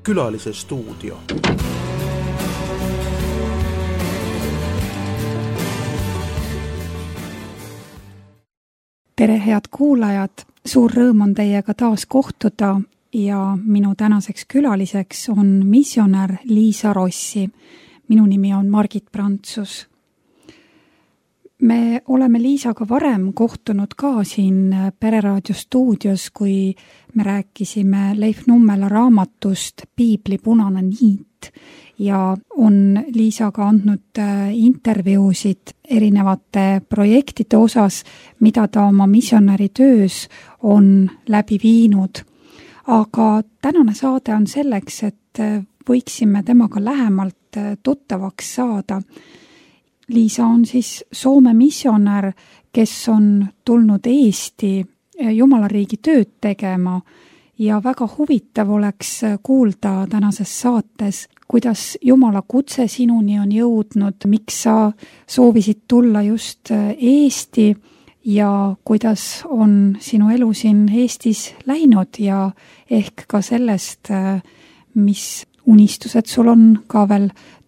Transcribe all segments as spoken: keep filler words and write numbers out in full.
Külalise stuudio. Tere, head kuulajad! Suur rõõm on teiega taas kohtuda ja minu tänaseks külaliseks on missionär Liisa Rossi. Minu nimi on Margit Prantsus. Me oleme Liisaga varem kohtunud ka siin Pereraadio stuudios, kui me rääkisime Leif Nummela raamatust Piibli punane niit ja on Liisaga andnud intervjuusid erinevate projektide osas, mida ta oma missionäri töös on läbi viinud. Aga tänane saade on selleks, et võiksime temaga lähemalt tuttavaks saada. Liisa on siis Soome missionär, kes on tulnud Eesti Jumalariigi tööd tegema ja väga huvitav oleks kuulda tänases saates, kuidas Jumala kutse sinuni on jõudnud, miks sa soovisid tulla just Eesti ja kuidas on sinu elu siin Eestis läinud ja ehk ka sellest, mis unistused sul on ka veel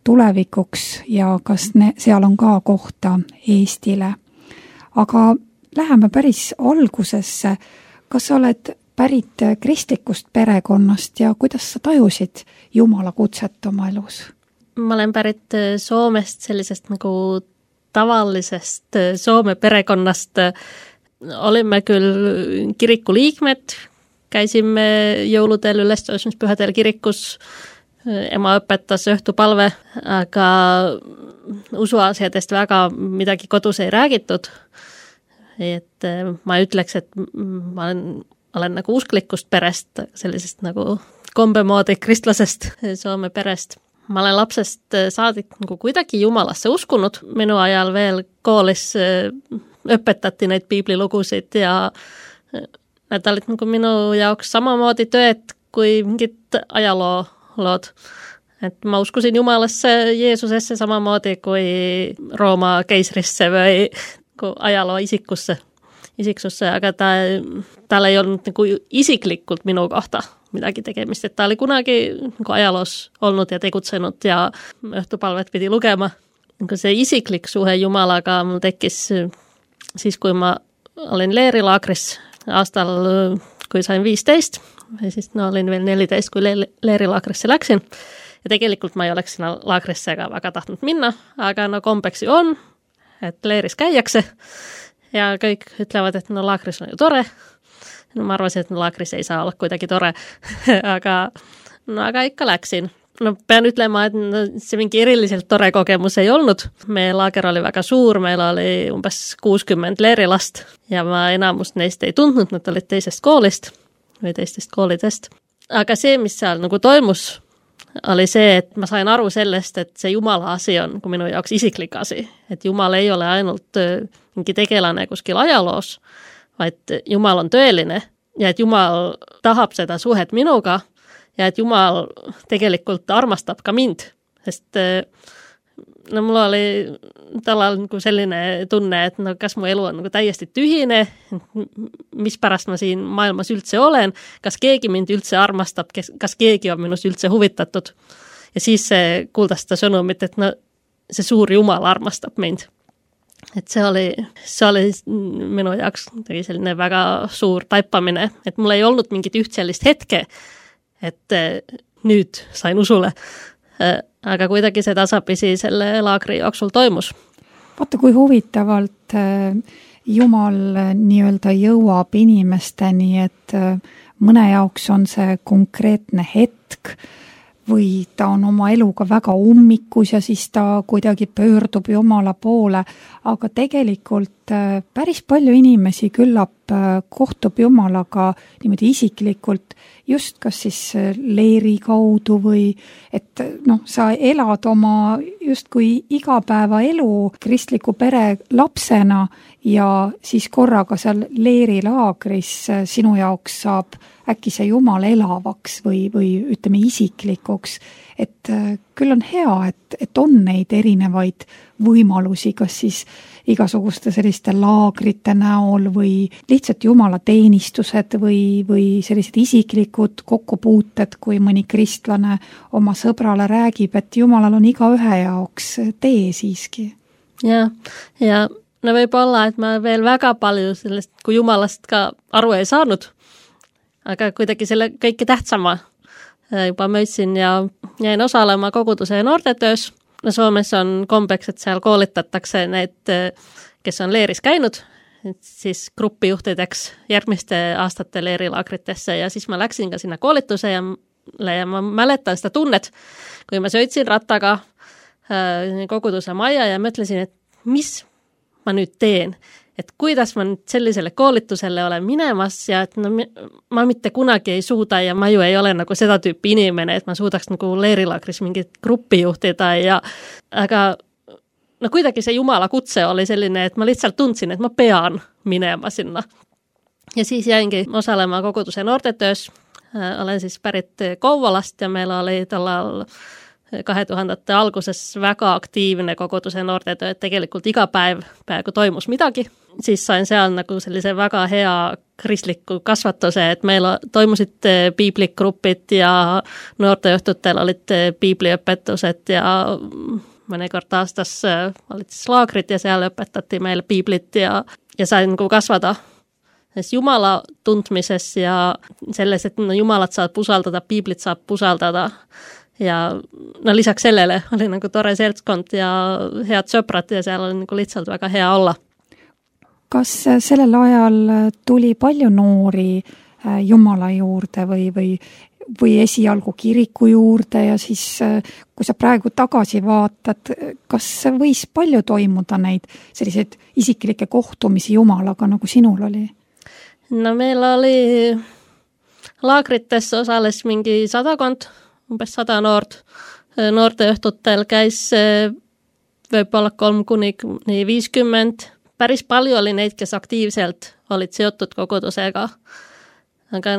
tulevikuks ja kas ne, seal on ka kohta Eestile. Aga läheme päris algusesse. Kas sa oled pärit kristlikust perekonnast ja kuidas sa tajusid Jumala kutset oma elus? Ma olen pärit Soomest, sellisest nagu tavalisest Soome perekonnast. Olime küll kiriku liikmed, käisime jõuludel ülestõusmispühadel kirikus, ema õpetas õhtupalve, aga usuasjadest väga midagi kodus ei räägitud. Et ma ütleks, et ma olen, olen nagu usklikust perest, sellisest nagu kombemoodi kristlasest Soome perest. Ma olen lapsest saadik nagu kuidagi Jumalasse uskunud. Minu ajal veel koolis õpetati neid piiblilugusid ja need olid nagu minu jaoks samamoodi tööd kui mingid ajaloo lood. Et ma uskusin Jumalasse, Jeesusesse samamoodi kui Rooma keisrisse või ajaloo isikusse, isiksusse, aga ta, tal ei olnud nagu isiklikult minu kohta midagi tegemist, et ta oli kunagi nagu ajaloos olnud ja tegutsenud ja õhtupalvet pidi lugema. Nagu see isiklik suhe Jumalaga mul tekkis siis, kui ma olin leerilaagris aastal, kui sain viisteist, ja siis no, olin veel neliteist, kui le- leerilaagrisse läksin. Ja tegelikult ma ei oleks sinna laagrisse ka väga tahtnud minna, aga no kombeks ju on, et leeris käiakse ja kõik ütlevad, et no laagris on ju tore. No ma arvasin, et no laagris ei saa olla kuidagi tore, aga, no, aga ikka läksin. No pean ütlema, et no, see mingi eriliselt tore kogemus ei olnud. Meie laager oli väga suur, meil oli umbes kuuskümmend leerilast ja ma enamust neist ei tundnud, nad olid teisest koolist või teistest koolidest. Aga see, mis seal nagu toimus, oli see, et ma sain aru sellest, et see Jumala asi on nagu minu jaoks isiklik asi. Et Jumal ei ole ainult mingi tegelane kuskil ajaloos, vaid Jumal on tõeline ja et Jumal tahab seda suhet minuga ja et Jumal tegelikult armastab ka mind. Sest no mul oli talal nagu selline tunne, et no kas mu elu on nagu täiesti tühine, mis pärast ma siin maailmas üldse olen, kas keegi mind üldse armastab, kas keegi on minust üldse huvitatud. Ja siis kuuldas seda sõnumit, et no, see suur Jumal armastab mind. Et see oli, see oli minu jaoks selline väga suur taipamine, et mul ei olnud mingit üht sellist hetke, et nüüd sain usule. Aga kuidagi see tasapisi selle laagri jooksul toimus. Vaata, kui huvitavalt Jumal nii-öelda jõuab inimesteni, et mõne jaoks on see konkreetne hetk või ta on oma eluga väga ummikus ja siis ta kuidagi pöördub Jumala poole, aga tegelikult päris palju inimesi küllap kohtub Jumalaga niimoodi isiklikult, just kas siis leeri kaudu või et noh, sa elad oma justkui igapäevaelu kristliku pere lapsena ja siis korraga seal leerilaagris sinu jaoks saab äkki see Jumal elavaks või, või ütleme isiklikuks, et küll on hea, et, et on neid erinevaid võimalusi, kas siis igasuguste selliste laagrite näol või lihtsalt jumalateenistused või, või sellised isiklikud kokkupuuted, kui mõni kristlane oma sõbrale räägib, et Jumalal on igaühe jaoks tee siiski. Ja, ja no võib olla, et ma veel väga palju sellest, kui Jumalast ka aru ei saanud, aga kuidagi selle kõike tähtsama juba möötsin ja jäin osalema koguduse noortetöös. No Soomes on kombeks, et seal koolitatakse need, kes on leeris käinud, siis gruppijuhtideks järgmiste aastate leerilaagritesse ja siis ma läksin ka sinna koolituse ja, ja ma mäletan seda tunnet, kui ma sõitsin rattaga koguduse maja ja mõtlesin, et mis ma nüüd teen, et kuidas ma nüüd sellisele koolitusele olen minemas ja et no, ma mitte kunagi ei suuda ja ma ju ei ole nagu seda tüüpi inimene, et ma suudaks nagu leerilaagris mingit gruppi juhtida ja aga no kuidagi see Jumala kutse oli selline, et ma lihtsalt tundsin, et ma pean minema sinna. Ja siis jäingi osalema koguduse noortetöös, olen siis pärit Kouvolast ja meil oli tollal kahe tuhandete alguses väga aktiivne koguduse noortetöö, et tegelikult iga päev peaaegu toimus midagi. Siis sain seal nagu sellise väga hea kristliku kasvatuse, et meil toimusid piibligrupid ja noorteõhtutel olid piibliõpetused ja mõnikord aastas olid siis laagrid ja seal õpetati meil piiblit ja, ja sain nagu kasvada Jumala tundmises ja selles, et no Jumalat saab usaldada, piiblit saab usaldada. Ja no lisaks sellele oli nagu tore seltskond ja head sõbrad ja seal oli nagu lihtsalt väga hea olla. Kas sellel ajal tuli palju noori Jumala juurde või, või, või esialgu kiriku juurde ja siis, kui sa praegu tagasi vaatad, kas võis palju toimuda neid selliseid isiklikke kohtumisi Jumalaga, nagu sinul oli? No meil oli laagrites osales mingi sadakond, umbes sada noort. Noorteõhtutel käis võib-olla kolm kuni viiskümmend. Päris palju oli neid, kes aktiivselt olid seotud kogudusega. Aga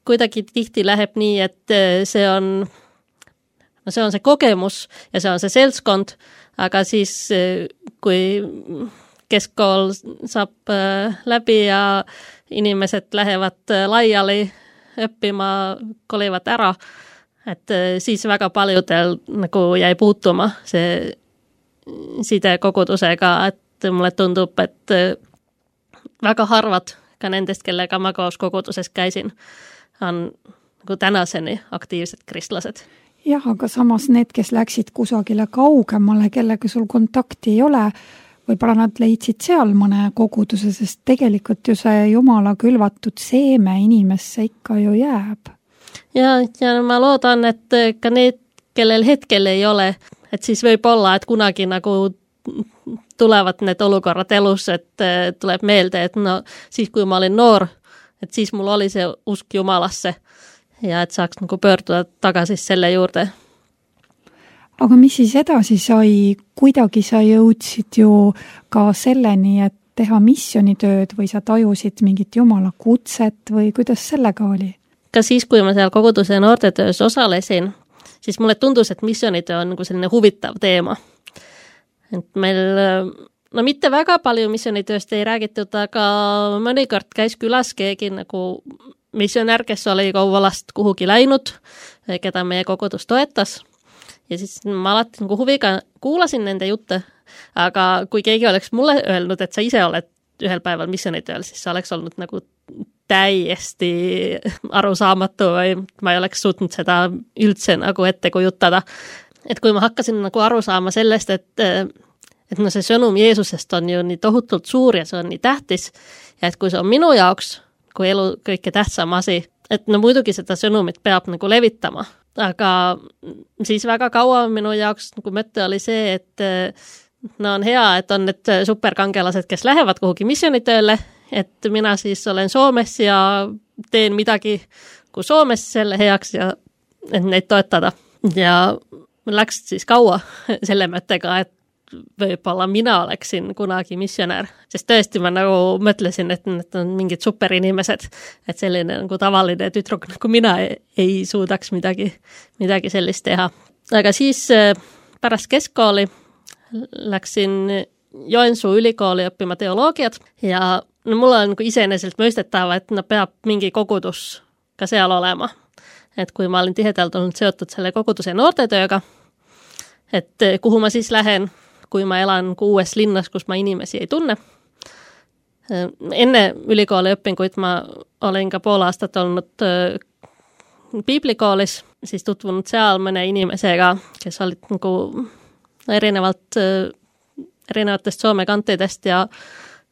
kuidagi tihti läheb nii, et see on, no see on see kogemus ja see on see seltskond, aga siis kui keskkool saab läbi ja inimesed lähevad laiali õppima, kolivad ära, et siis väga paljudel nagu jäi puutuma see side kogudusega, et mulle tundub, et väga harvad ka nendest, kellega ma koos koguduses käisin, on nagu tänaseni aktiivsed kristlased. Jah, aga samas need, kes läksid kusagile kaugemale, kellega sul kontakti ei ole, võib-olla nad leidsid seal mõne koguduse, sest tegelikult ju see Jumala külvatud seeme inimesse ikka ju jääb. Ja, ja ma loodan, et ka need, kellel hetkel ei ole, et siis võib olla, et kunagi nagu tulevad need olukorrad elus, et tuleb meelde, et no siis, kui ma olin noor, et siis mul oli see usk Jumalasse ja et saaks nagu pöörduda tagasi selle juurde. Aga mis siis edasi sai? Kuidagi sa jõudsid ju ka selleni, et teha missionitööd või sa tajusid mingit Jumala kutset või kuidas sellega oli? Ka siis, kui ma seal koguduse noortetöös osalesin, siis mulle tundus, et missionitöö on nagu selline huvitav teema. Et meil, no mitte väga palju missionitööst ei räägitud, aga mõnikord käis külas keegi nagu missionär, kes oli Kouvolast kuhugi läinud, keda meie kogudus toetas. Ja siis ma alati nagu huviga kuulasin nende jutte, aga kui keegi oleks mulle öelnud, et sa ise oled ühel päeval missionitööl, siis sa oleks olnud nagu täiesti arusaamatu või ma ei oleks suutnud seda üldse nagu ette kujutada. Et kui ma hakkasin nagu aru saama sellest, et, et no see sõnum Jeesusest on ju nii tohutult suur ja see on nii tähtis ja et kui see on minu jaoks, kui elu kõike tähtsam asi, et no muidugi seda sõnumit peab nagu levitama, aga siis väga kaua minu jaoks nagu mõte oli see, et no on hea, et on need superkangelased, kes lähevad kuhugi missionitööle, et mina siis olen Soomes ja teen midagi kui Soomes selle heaks ja et neid toetada. Ja läks siis kaua selle mõttega, et võib-olla mina oleksin kunagi missionär, sest tõesti ma nagu mõtlesin, et need on mingid superinimesed, et selline nagu tavaline tüdruk nagu mina ei, ei suudaks midagi, midagi sellist teha. Aga siis pärast keskkooli läksin Joensuu ülikooli õppima teoloogiat ja no mulla on nagu iseenesest mõistettava, et no peab mingi kogudus ka seal olema. Et kui ma olen tihedalt olnud seotud selle koguduse noortetööga, et kuhu ma siis lähen, kui ma elan uues linnas, kus ma inimesi ei tunne. Enne ülikooli õpinguid ma olen ka pool aastat olnud piiblikoolis, siis tutvunud seal mõne inimesega, kes olid nagu erinevalt, erinevatest Soome kantidest ja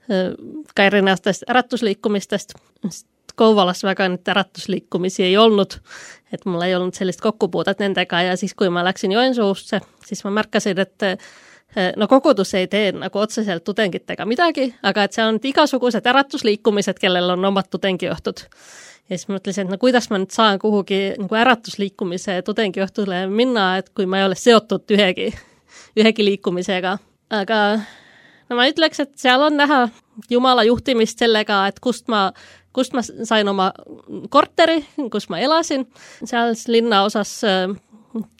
ka erinevatest äratusliikumistest. Kouvolas väga nüüd äratusliikumisi ei olnud, et mul ei olnud sellist kokkupuudet nendega ja siis, kui ma läksin Joensuusse, siis ma märkasin, et no kogudus ei tee nagu otseselt tudengitega midagi, aga et seal on igasugused äratusliikumised, kellel on omad tudengijuhtud. Ja siis mõtlesin, et no kuidas ma nüüd saan kuhugi nagu äratusliikumise tudengijuhtule minna, et kui ma ei ole seotud ühegi, ühegi liikumisega. Aga no ma ütleks, et seal on näha Jumala juhtimist sellega, et kust ma, kust ma sain oma korteri, kus ma elasin. Seal linnaosas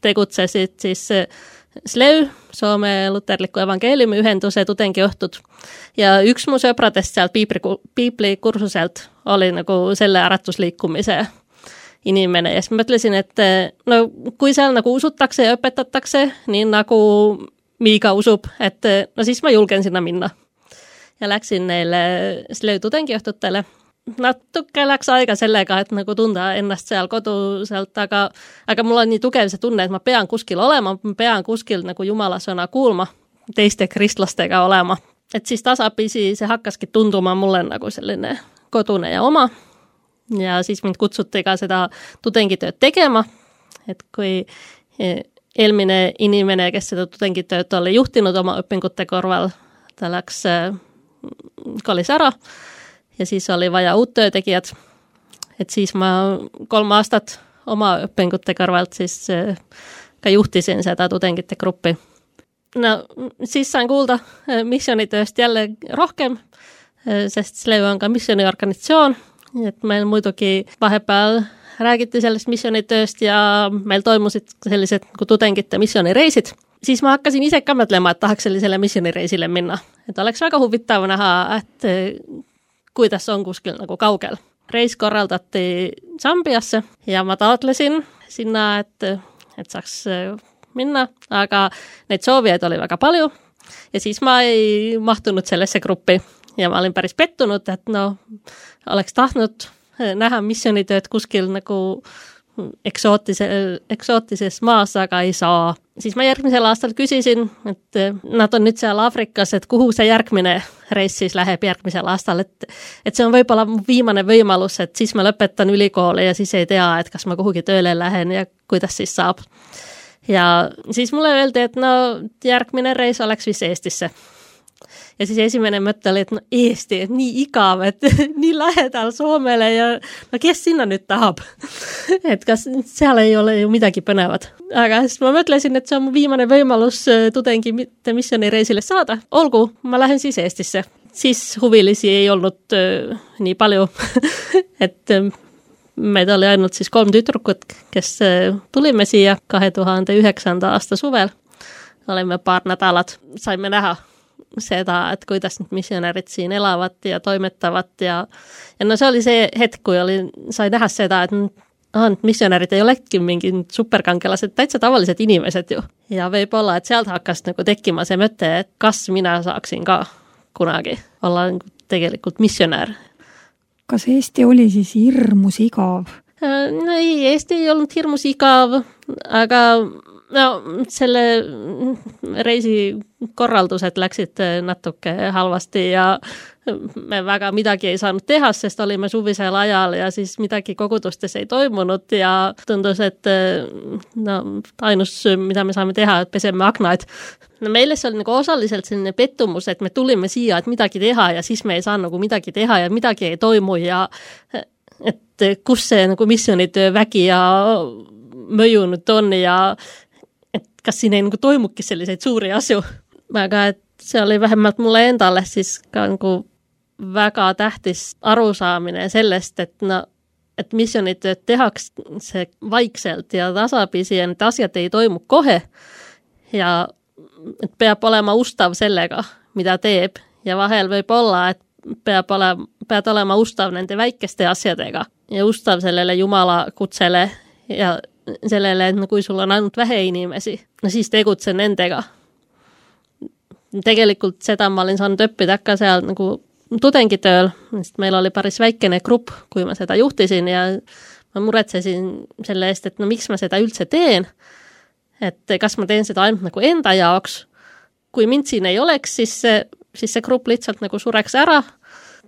tegutsesid siis S L E U, Soome luterliku evangeeliumi ühenduse tudengijuhtud. Ja üks mu sõpradest sealt piibli, piiblikursuselt oli nagu selle äratusliikumise inimene. Ja siis mõtlesin, et no kui seal nagu usutakse ja õpetatakse, nii nagu Miika usub, et no siis ma julgen sinna minna. Ja läksin neile S L E U tudengijuhtutele. Natuke läks aega sellega, et nagu tunda ennast seal koduselt, aga, aga mul on nii tugev see tunne, et ma pean kuskil olema, ma pean kuskil nagu Jumala sõna kuulma, teiste kristlastega olema. Et siis tasapisi see hakkaski tunduma mulle nagu selline kodune ja oma. Ja siis mind kutsuti ka seda tudengitööd tegema, et kui eelmine inimene, kes seda tudengitööd oli juhtinud oma õpingute korval, ta läks kolis ära ja siis oli vaja uut töötegijad. Et siis ma kolm aastat oma õpingute kõrvalt siis ka juhtisin seda tudengite gruppi. No siis sain kuulda missioonitööst jälle rohkem, sest S L E U on ka missioniorganisatsioon, et meil muidugi vahepeal räägiti sellest missionitööst ja meil toimusid sellised nagu tudengite missionireisid. Siis ma hakkasin ise ka mõtlema, et tahaks sellisele missionireisile minna. Et oleks väga huvitav näha, et kuidas on kuskil nagu kaugel. Reis korraldati Zambiasse ja ma taotlesin sinna, et, et saaks minna, aga neid soovijaid oli väga palju ja siis ma ei mahtunud sellesse gruppi ja ma olin päris pettunud, et no oleks tahtnud näha missionitööd kuskil nagu eksootise, eksootises maas, aga ei saa. Siis ma järgmisel aastal küsisin, et nad on nüüd seal Afrikas, et kuhu see järgmine reis siis läheb järgmisel aastal, et, et see on võib-olla viimane võimalus, et siis ma lõpetan ülikooli ja siis ei tea, et kas ma kuhugi tööle lähen ja kuidas siis saab. Ja siis mulle öeldi, et no järgmine reis oleks vist Eestisse. Ja siis esimene mõte oli, et no Eesti, et nii igav, et nii lähedal Soomele ja no kes sinna nüüd tahab? Et kas seal ei ole ju midagi põnevat. Aga siis ma mõtlesin, et see on viimane võimalus tudengi mitte missionireisile saada. Olgu, ma lähen siis Eestisse. Siis huvilisi ei olnud äh, nii palju, et äh, meid oli ainult siis kolm tütrukut, kes äh, tulime siia kahe tuhande üheksanda aasta suvel. Olime paar nädalat, saime näha seda, et kuidas need missionärid siin elavad ja toimetavad ja, ja no see oli see hetk, kui oli, sai näha seda, et ah, missionärid ei olegi mingi superkangelased, täitsa tavalised inimesed ju. Ja võib-olla, et sealt hakkas nagu tekkima see mõte, et kas mina saaksin ka kunagi olla tegelikult missionär. Kas Eesti oli siis hirmus igav? No ei, Eesti ei olnud hirmus igav, aga no selle reisi korraldused läksid natuke halvasti ja me väga midagi ei saanud teha, sest olime suvisel ajal ja siis midagi kogudustes ei toimunud ja tundus, et no, ainus, mida me saame teha, et peseme aknaid. No meile see oli nagu osaliselt selline pettumus, et me tulime siia, et midagi teha ja siis me ei saa nagu midagi teha ja midagi ei toimu ja et kus see nagu missionitöö vägi ja mõju nüüd on ja et kas siin ei nagu toimuki selliseid suuri asju. Aga et see oli vähemalt mulle endale siis ka nagu väga tähtis arusaamine sellest, et, no, et missionitööd tehakse vaikselt ja tasapisi ja need asjad ei toimu kohe ja et peab olema ustav sellega, mida teeb ja vahel võib olla, et peab olema, pead olema ustav nende väikeste asjadega ja ustav sellele Jumala kutsele ja sellele, et kui sul on ainult vähe inimesi, no siis tegutse nendega. Tegelikult seda ma olin saanud õppida ka seal nagu tudengitööl, sest meil oli päris väikene grupp, kui ma seda juhtisin ja ma muretsesin selle eest, et no miks ma seda üldse teen, et kas ma teen seda ainult nagu enda jaoks. Kui mind siin ei oleks, siis see, siis see grupp lihtsalt nagu sureks ära.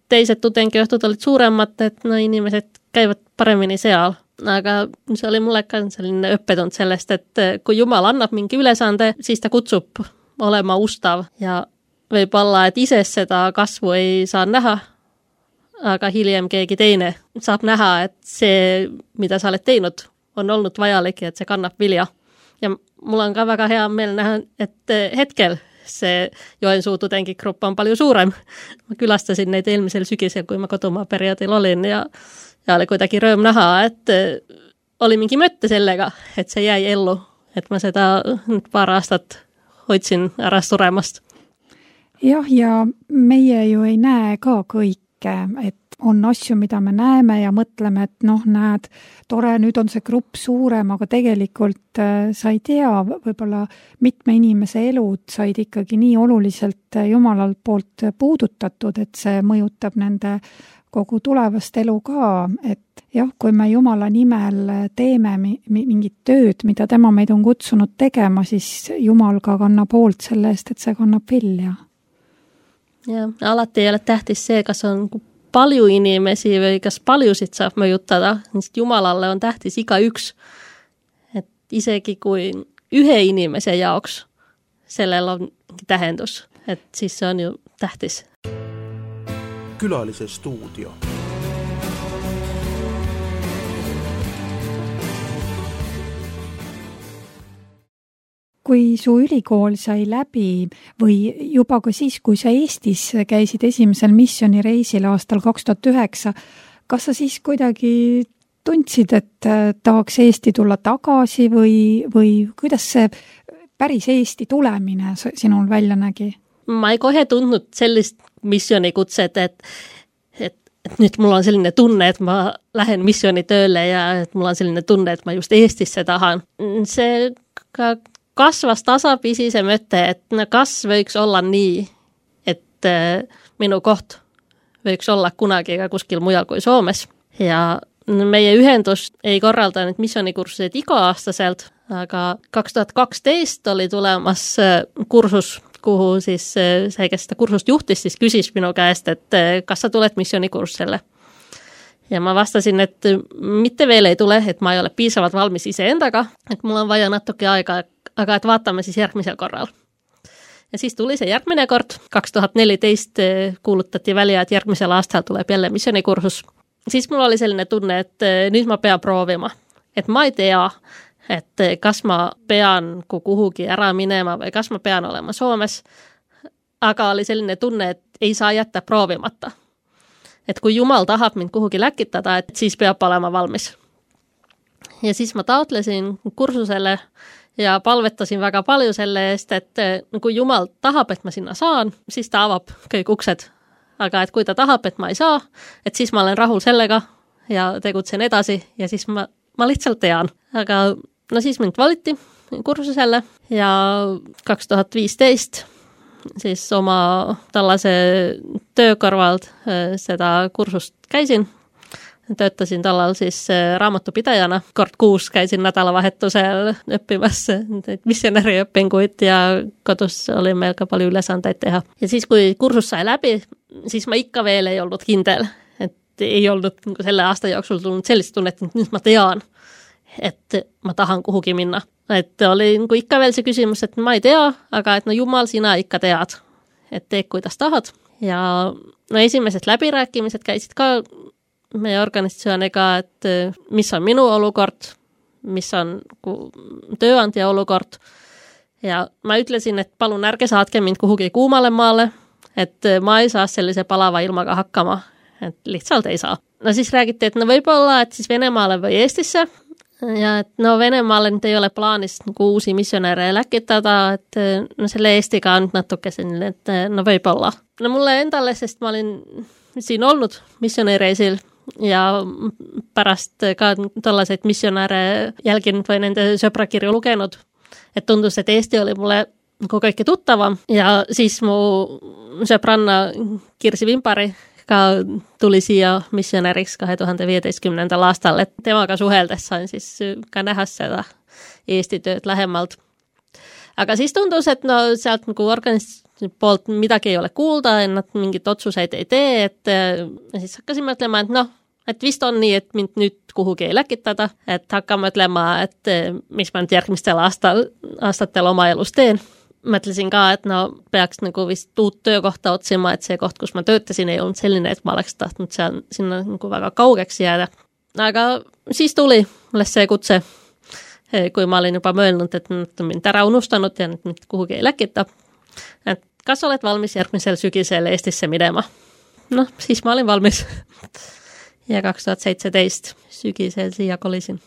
Teised tudengiõhtud olid suuremad, et no inimesed käivad paremini seal. Aga see oli mulle ka selline õppetund sellest, et kui Jumal annab mingi ülesande, siis ta kutsub olema ustav ja võib olla, et ise seda kasvu ei saa näha, aga hiljem keegi teine saab näha, et see, mida sa oled teinud, on olnud vajalik ja et see kannab vilja. Ja mul on ka väga hea meel näha, et hetkel see Joensuu tudengigrupp on palju suurem. Ma külastasin neid eelmisel sügisel, kui ma kodumaa perioodil olin ja, ja oli kuidagi rõõm näha, et oli mingi mõtte sellega, et see jäi ellu, et ma seda paar aastat hoidsin ära suremast. Jah, ja meie ju ei näe ka kõike, et on asju, mida me näeme ja mõtleme, et noh, näed, tore, nüüd on see grupp suurem, aga tegelikult sa ei tea, võib-olla mitme inimese elud said ikkagi nii oluliselt Jumalalt poolt puudutatud, et see mõjutab nende kogu tulevast elu ka, et jah, kui me Jumala nimel teeme mingit tööd, mida tema meid on kutsunud tegema, siis Jumal ka kannab hoolt selle eest, et see kannab vilja. Ja alati ei ole tähtis see, kas on palju inimesi või kas paljusid saab mõjutada, sest Jumalalle on tähtis iga üks. Et isegi kui ühe inimese jaoks sellel on tähendus, et siis see on ju tähtis. Külalise stuudio. Kui su ülikool sai läbi või juba ka siis, kui sa Eestis käisid esimesel missioonireisil aastal kaks tuhat üheksa, kas sa siis kuidagi tundsid, et tahaks Eesti tulla tagasi või, või kuidas see päris Eesti tulemine sinul välja nägi? Ma ei kohe tundnud sellist missionikutset, et, et, et nüüd mul on selline tunne, et ma lähen missioonitööle ja et mul on selline tunne, et ma just Eestisse tahan. See ka kasvas tasapisi see mõte, et no kas võiks olla nii, et minu koht võiks olla kunagi ka kuskil mujal kui Soomes. Ja meie ühendus ei korralda nüüd missioonikursused iga-aastaselt, aga kaks tuhat kaksteist oli tulemas kursus, kuhu siis see, kes seda kursust juhtis, siis küsis minu käest, et kas sa tuled missioonikursusele. Ja ma vastasin, et mitte veel ei tule, et ma ei ole piisavalt valmis iseendaga, et mul on vaja natuke aega, aga et vaatame siis järgmisel korral. Ja siis tuli see järgmine kord, kaks tuhat neliteist kuulutati välja, et järgmisel aastal tuleb jälle missioonikursus. Siis mul oli selline tunne, et nüüd ma pean proovima, et ma ei tea, et kas ma pean kuhugi ära minema või kas ma pean olema Soomes, aga oli selline tunne, et ei saa jätta proovimata. Et kui Jumal tahab mind kuhugi läkitada, et siis peab olema valmis. Ja siis ma taotlesin kursusele ja palvetasin väga palju selle eest, et kui Jumal tahab, et ma sinna saan, siis ta avab kõik uksed. Aga et kui ta tahab, et ma ei saa, et siis ma olen rahul sellega ja tegutsen edasi ja siis ma, ma lihtsalt tean. Aga no siis mind valiti kursusele ja kaks tuhat viisteist siis oma tallase töö kõrvalt seda kursust käisin. Töötasin tallal siis raamatupidajana. Kord kuus käisin nädalavahetusel õppimas missionäri õpinguid ja kodus oli meil ka palju ülesandeid teha. Ja siis, kui kursus sai läbi, siis ma ikka veel ei olnud kindel, et ei olnud selle aasta jooksul tulnud sellist tunnet, et nüüd ma tean, et ma tahan kuhugi minna. Et oli nagu ikka veel see küsimus, et ma ei tea, aga et no Jumal, sina ikka tead, et tee, kuidas tahad. Ja no esimesed läbirääkimised käisid ka meie organisatsiooniga, et mis on minu olukord, mis on tööandja olukord. Ja ma ütlesin, et palun ärge saatke mind kuhugi kuumale maale, et ma ei saa sellise palava ilmaga hakkama, et lihtsalt ei saa. No siis räägiti, et no võib-olla, et siis Venemaale või Eestisse, Ja et no Venemaalle nyt ei ole plaanis nagu uusi missionääre läkitada, et no selle Eestiga on natuke selline, et no võib-olla. No mulle endale, sest ma olin siin olnud missionääreisil ja pärast ka tollaseid missionääre jälginud või nende sõprakirju lugenud, et tundus, et Eesti oli mulle nagu kõike tuttavam ja siis mu sõbranna Kirsi Vimpari ka tuli siia missionääriks kahe tuhande viieteistkümnendal aastal, et temaga suheldes sain siis ka näha seda Eesti tööd lähemalt. Aga siis tundus, et no sealt nagu organisatsiooni poolt midagi ei ole kuulda, et nad mingit otsuseid ei tee, et ja siis hakkasin mõtlema, et noh, et vist on nii, et mind nüüd kuhugi ei läkitada, et hakkame mõtlema, et mis ma nüüd järgmistel aastal, aastatel oma elus teen. Mõtlesin ka, et no peaks nagu vist uut töökohta otsima, et see koht, kus ma töötasin, ei olnud selline, et ma oleks tahtnud seal, sinna nagu väga kaugeks jääda. Aga siis tuli mulle see kutse, kui ma olin juba mõelnud, et nad on mind ära unustanud ja nüüd mind kuhugi ei läkita. Et kas oled valmis järgmisel sügisel Eestisse minema? Noh, siis ma olin valmis. Ja kaks tuhat seitseteist sügisel siia kolisin.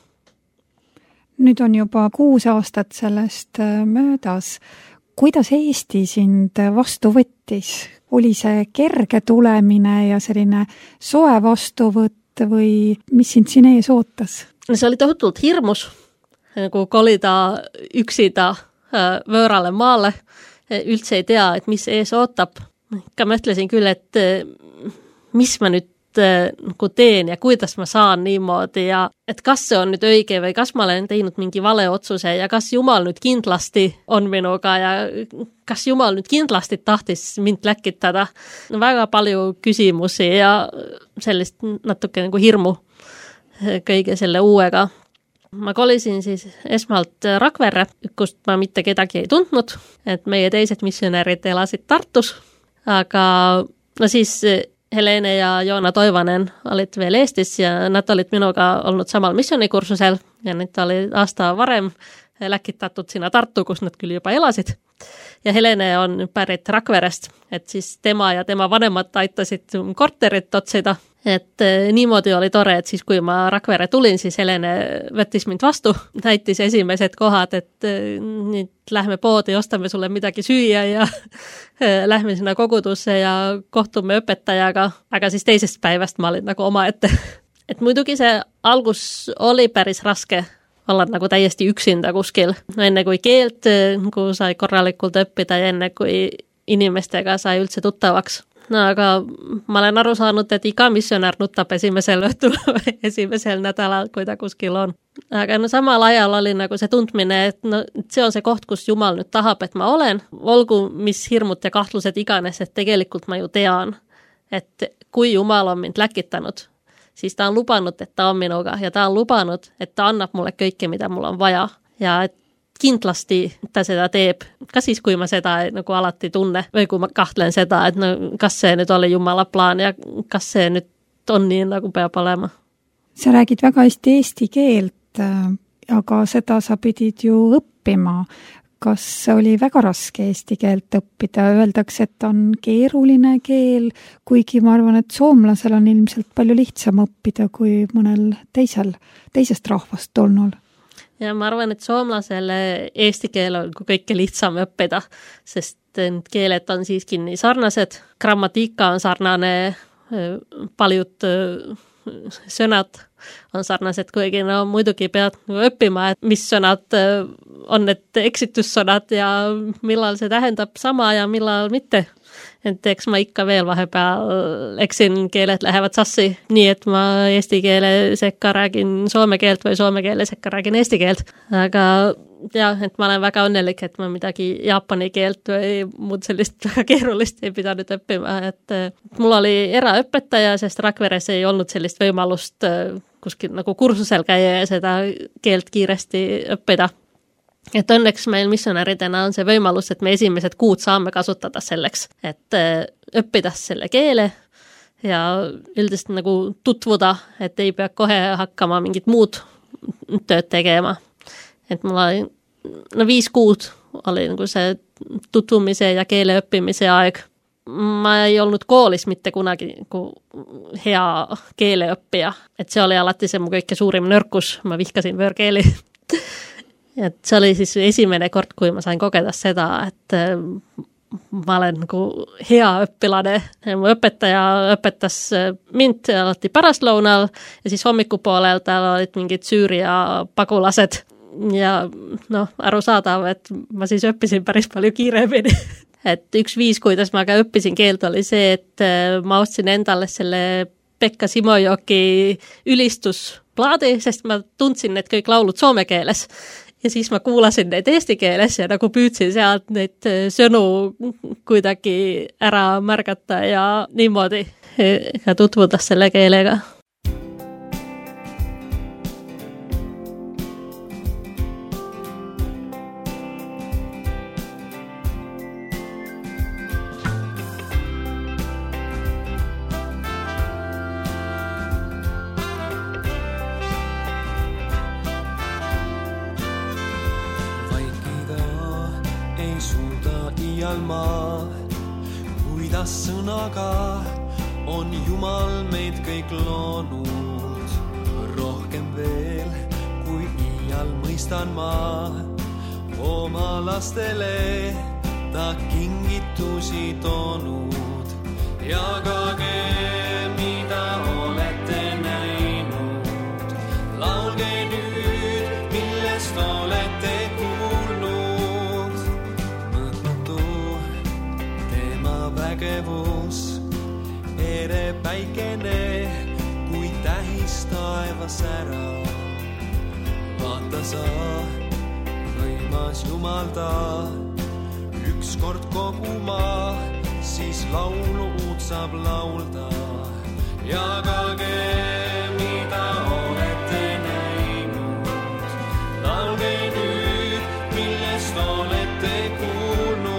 Nüüd on juba kuus aastat sellest möödas. Kuidas Eesti sind vastu võttis? Oli see kerge tulemine ja selline soe vastuvõtt või mis sind siin ees ootas? See oli tohutult hirmus, nagu kolida üksida võõrale maale. Üldse ei tea, et mis ees ootab. Ka mõtlesin küll, et mis ma nüüd nagu teen ja kuidas ma saan niimoodi ja et kas see on nüüd õige või kas ma olen teinud mingi vale otsuse ja kas Jumal nüüd kindlasti on minuga ja kas Jumal nüüd kindlasti tahtis mind läkitada. No, väga palju küsimusi ja sellist natuke nagu hirmu kõige selle uuega. Ma kolisin siis esmalt Rakverre, kust ma mitte kedagi ei tundnud, et meie teised missionäärid elasid Tartus, aga no siis Helene ja Joona Toivanen olid veel Eestis ja nad olid minuga olnud samal missioonikursusel ja nüüd oli aasta varem läkitatud sinna Tartu, kus nad küll juba elasid. Ja Helene on pärit Rakverest, et siis tema ja tema vanemad aitasid korterit otsida. Et niimoodi oli tore, et siis kui ma Rakvere tulin, siis Helene võttis mind vastu, näitis esimesed kohad, et nüüd lähme poodi, ostame sulle midagi süüa ja lähme sinna kogudusse ja kohtume õpetajaga, aga siis teisest päevast ma olin nagu omaette. Et muidugi see algus oli päris raske olla nagu täiesti üksinda kuskil, enne kui keelt nagu sai korralikult õppida ja enne kui inimestega sai üldse tuttavaks. No aga ma olen aru saanud, et iga missionär nutab esimesel õhtul või esimesel nädalal, kui ta kuskil on. Aga no samal ajal oli nagu see tundmine, et no, see on see koht, kus Jumal nüüd tahab, et ma olen. Olgu mis hirmud ja kahtlused iganes, et tegelikult ma ju tean, et kui Jumal on mind läkitanud, siis ta on lubanud, et ta on minuga ja ta on lubanud, et ta annab mulle kõike, mida mul on vaja ja et kindlasti ta seda teeb, ka siis, kui ma seda nagu alati tunne või kui ma kahtlen seda, et no, kas see nüüd oli Jumala plaan ja kas see nüüd on nii, nagu peab olema. Sa räägid väga hästi eesti keelt, aga seda sa pidid ju õppima. Kas oli väga raske eesti keelt õppida? Öeldakse, et on keeruline keel, kuigi ma arvan, et soomlasel on ilmselt palju lihtsam õppida kui mõnel teisel, teisest rahvast tulnul. Ja ma arvan, et soomlasele eesti keel on kõike lihtsam õppida, sest keeled on siiski nii sarnased. Grammatika on sarnane, paljud sõnad on sarnased, kuigi no muidugi pead õppima, et mis sõnad on need eksitussõnad ja millal see tähendab sama ja millal mitte. Et eks ma ikka veel vahepeal eksin, keeled lähevad sassi, nii et ma eesti keele sekka räägin soome keelt või soome keele sekka räägin eesti keelt. Aga jah, et ma olen väga õnnelik, et ma midagi jaapani keelt või muud sellist väga keerulist ei pidanud õppima. Et mul oli eraõpetaja, sest Rakveres ei olnud sellist võimalust kuskil nagu kursusel käia ja seda keelt kiiresti õppida. Et õnneks meil missionäridena on see võimalus, et me esimesed kuud saame kasutada selleks, et õppida selle keele ja üldiselt nagu tutvuda, et ei pea kohe hakkama mingit muud tööd tegema. Et mul oli, no viis kuud oli nagu see tutvumise ja keele õppimise aeg. ma ei olnud koolis mitte kunagi nagu hea keeleõppija, et see oli alati see mu kõige suurim nõrkus, ma vihkasin võõrkeeli. Et see oli siis esimene kord, kui ma sain kogeda seda, et ma olen nagu hea õpilane. Mu õpetaja õpetas mind alati pärastlõunal ja siis hommikupoolel tal olid mingid Süüria pagulased ja noh, arusaadav, et ma siis õppisin päris palju kiiremini. Et üks viis, kuidas ma ka õppisin keelt, oli see, et ma ostsin endale selle Pekka Simojoki ülistusplaadi, sest ma tundsin need kõik laulud soome keeles. Ja siis ma kuulasin neid eesti keeles ja nagu püüdsin sealt neid sõnu kuidagi ära märgata ja niimoodi ka tutvuda selle keelega. Maa, kuidas sõnaga on Jumal meid kõik loonud. Rohkem veel, kui iial mõistan ma oma lastele ta kingitusi toonud. Jagage, mida olete näinud. Laulge nüüd, millest olete kuulnud. Mõttu vägevus, ere päikene, kui tähis taevas ära. Vaata sa, võimas Jumal ta, ükskord kogu maa, siis laulu uut saab laulda. Jagage, mida olete näinud. Laulge nüüd, millest olete kuulnud.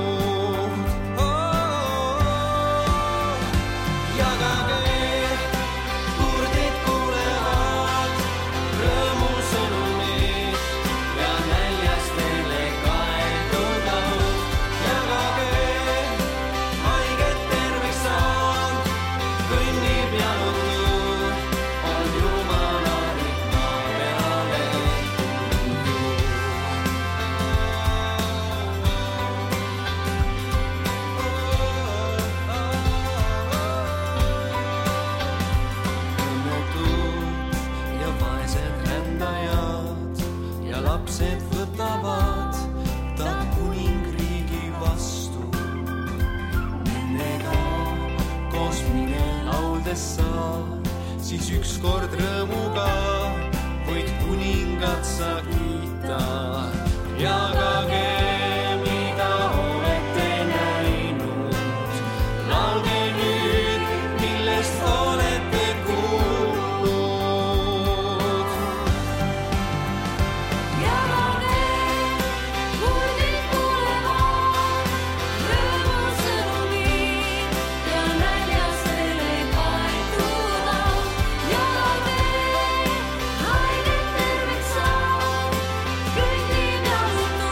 Siis ükskord rõõmuga võid kuningat sa kiita. Jagage, mida olete näinud. Laulge nüüd, millest olete kuulnud. Jagage, kuulid kuulevad rõõmusõnumid ja näljastele kaetuda. Jagage, haiged terveks saavad, kõik nii pealutud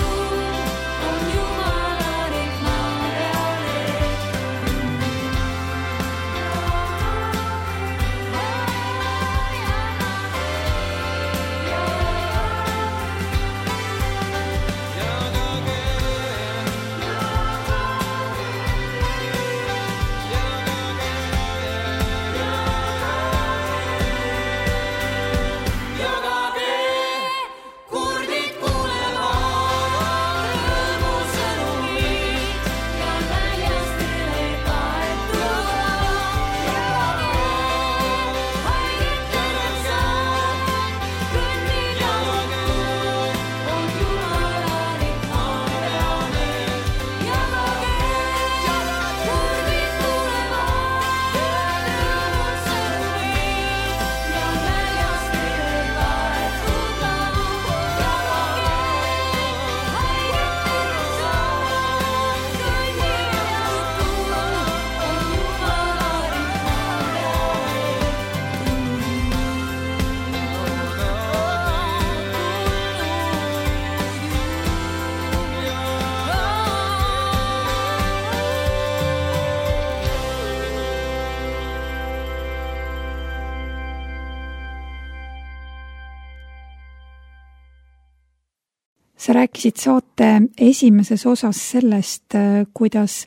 sa rääkisid saate esimeses osas sellest, kuidas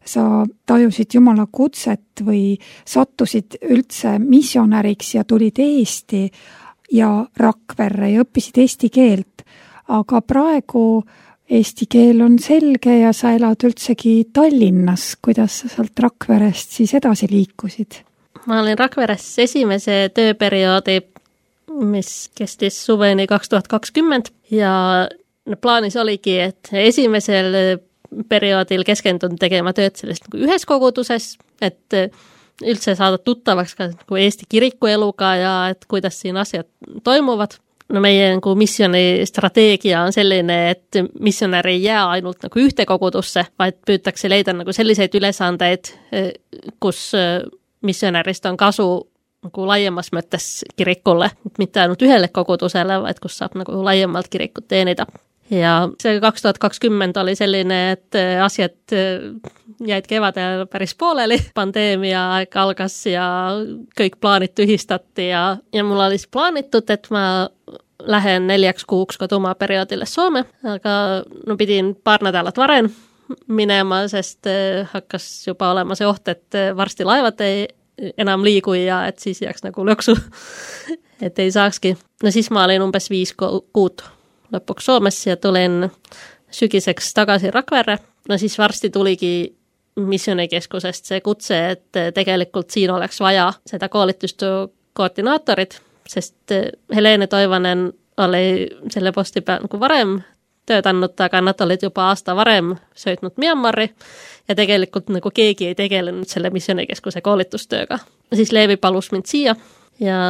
sa tajusid Jumala kutset või sattusid üldse missionäriks ja tulid Eesti ja Rakverre ja õppisid eesti keelt. Aga praegu eesti keel on selge ja sa elad üldsegi Tallinnas. Kuidas sa sealt Rakverest siis edasi liikusid? Ma olin Rakveres esimese tööperioodi, mis kestis suveni kaks tuhat kakskümmend ja plaanis oligi, et esimesel perioodil keskendun tegema tööd sellest nagu ühes koguduses, et üldse saada tuttavaks ka nagu Eesti kirikueluga ja et kuidas siin asjad toimuvad. No meie nagu missioni strateegia on selline, et missionär ei jää ainult nagu ühte kogudusse, vaid püütakse leida nagu selliseid ülesandeid, kus missionärist on kasu nagu laiemas mõttes kirikule, mitte ainult ühele kogudusele, vaid kus saab nagu laiemalt kirikut teenida. Ja see kaks tuhat kakskümmend oli selline, et asjad jäid kevadel päris pooleli, pandeemia aeg algas ja kõik plaanid tühistati ja, ja mul oli plaanitud, et ma lähen neljaks kuuks koduma perioodile Soome, aga no pidin paar nädalat varem minema, sest hakkas juba olema see oht, et varsti laevad ei enam liigu ja et siis jääks nagu lõksu, et ei saakski. No siis ma olin umbes viis kuud lõpuks Soomes ja tulin sügiseks tagasi Rakverre. No siis varsti tuligi missioonikeskusest see kutse, et tegelikult siin oleks vaja seda koolitust koordinaatorit, sest Helene Toivanen oli selle posti peal nagu varem töötanud, aga nad olid juba aasta varem söötnud Myanmari ja tegelikult nagu keegi ei tegelenud selle missioonikeskuse koolitustööga. Siis Leevi palus mind siia ja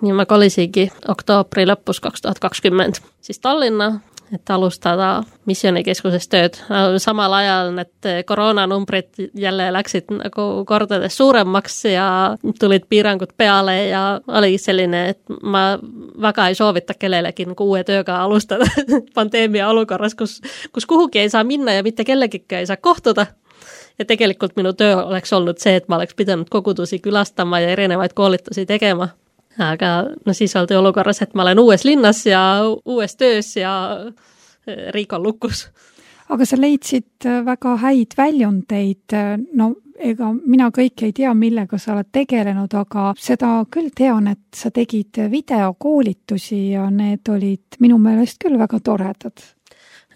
nii ma kolisingi oktoobri lõpus kaks tuhat kakskümmend siis Tallinna, et alustada missioonikeskuses tööd. Samal ajal need koroonanumbrid jälle läksid nagu kordades suuremaks ja tulid piirangud peale ja oli selline, et ma väga ei soovita kellelegi nagu uue tööga alustada pandeemia olukorras, kus, kus kuhugi ei saa minna ja mitte kellegiga ei saa kohtuda. Ja tegelikult minu töö oleks olnud see, et ma oleks pidanud kogudusi külastama ja erinevaid koolitusi tegema. Aga no siis oldi olukorras, et ma olen uues linnas ja uues töös ja riik on lukus. Aga sa leidsid väga häid väljundeid. No ega mina kõik ei tea, millega sa oled tegelenud, aga seda küll tean, et sa tegid videokoolitusi ja need olid minu meelest küll väga toredad.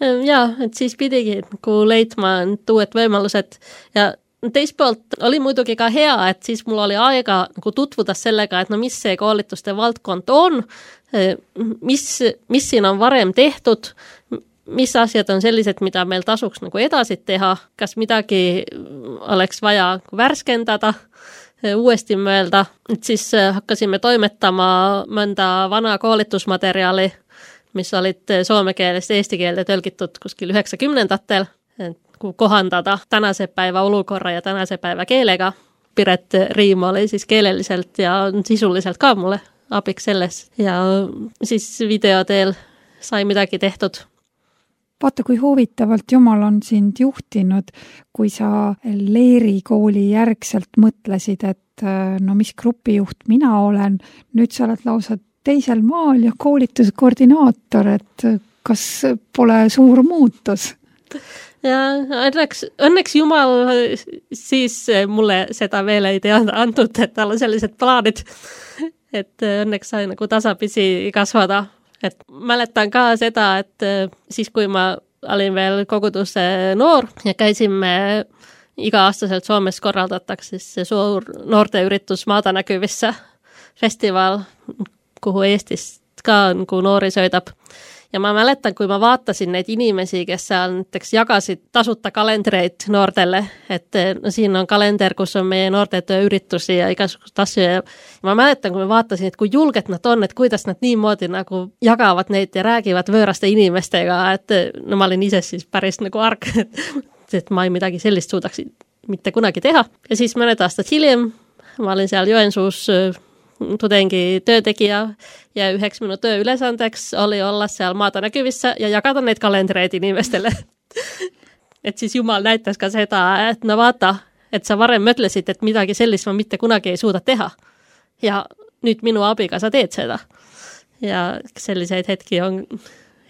Jaa, et siis pidigi nagu leidma uued võimalused ja teist poolt oli muidugi ka hea, et siis mul oli aega nagu tutvuda sellega, et no mis see koolituste valdkond on, mis, mis siin on varem tehtud, mis asjad on sellised, mida meil tasuks nagu edasi teha, kas midagi oleks vaja värskendada, uuesti mõelda, et siis hakkasime toimetama mõnda vana koolitusmaterjali, mis olid soome keelest eesti keelde tõlgitud kuskil üheksakümnendatel, et kohandada tänase päeva olukorra ja tänase päeva keelega. Piret Riim oli siis keeleliselt ja sisuliselt ka mulle abiks selles ja siis videoteel sai midagi tehtud. Vaata, kui huvitavalt Jumal on sind juhtinud, kui sa leerikooli järgselt mõtlesid, et no mis grupijuht mina olen, nüüd sa oled lausa teisel maal ja koolituskoordinaator, et kas pole suur muutus? Ja õnneks, õnneks Jumal siis mulle seda veel ei teada antud, et tal on sellised plaanid, et õnneks sai nagu tasapisi kasvada. Et mäletan ka seda, et siis kui ma olin veel koguduse noor ja käisime iga-aastaselt Soomes korraldatakse see suur noorteüritus Maadanäkyvissä festival, kuhu Eestist ka nagu noori sõidab. Ja ma mäletan, kui ma vaatasin neid inimesi, kes seal näiteks jagasid tasuta kalendreid noortele, et no siin on kalender, kus on meie noortetöö üritusi ja igasugust asju. Ja ma mäletan, kui ma vaatasin, et kui julged nad on, et kuidas nad niimoodi nagu jagavad neid ja räägivad võõraste inimestega, et no ma olin ise siis päris nagu arg, et ma ei midagi sellist suudaks mitte kunagi teha. Ja siis mõned aastad hiljem ma olin seal Joensuus tudengi töötegija ja üheks minu töö ülesandeks oli olla seal Maadanäkyvissä ja jagada neid kalendreid inimestele. Et siis Jumal näitas ka seda, et no vaata, et sa varem mõtlesid, et midagi sellist ma mitte kunagi ei suuda teha. Ja nüüd minu abiga sa teed seda. Ja selliseid hetki on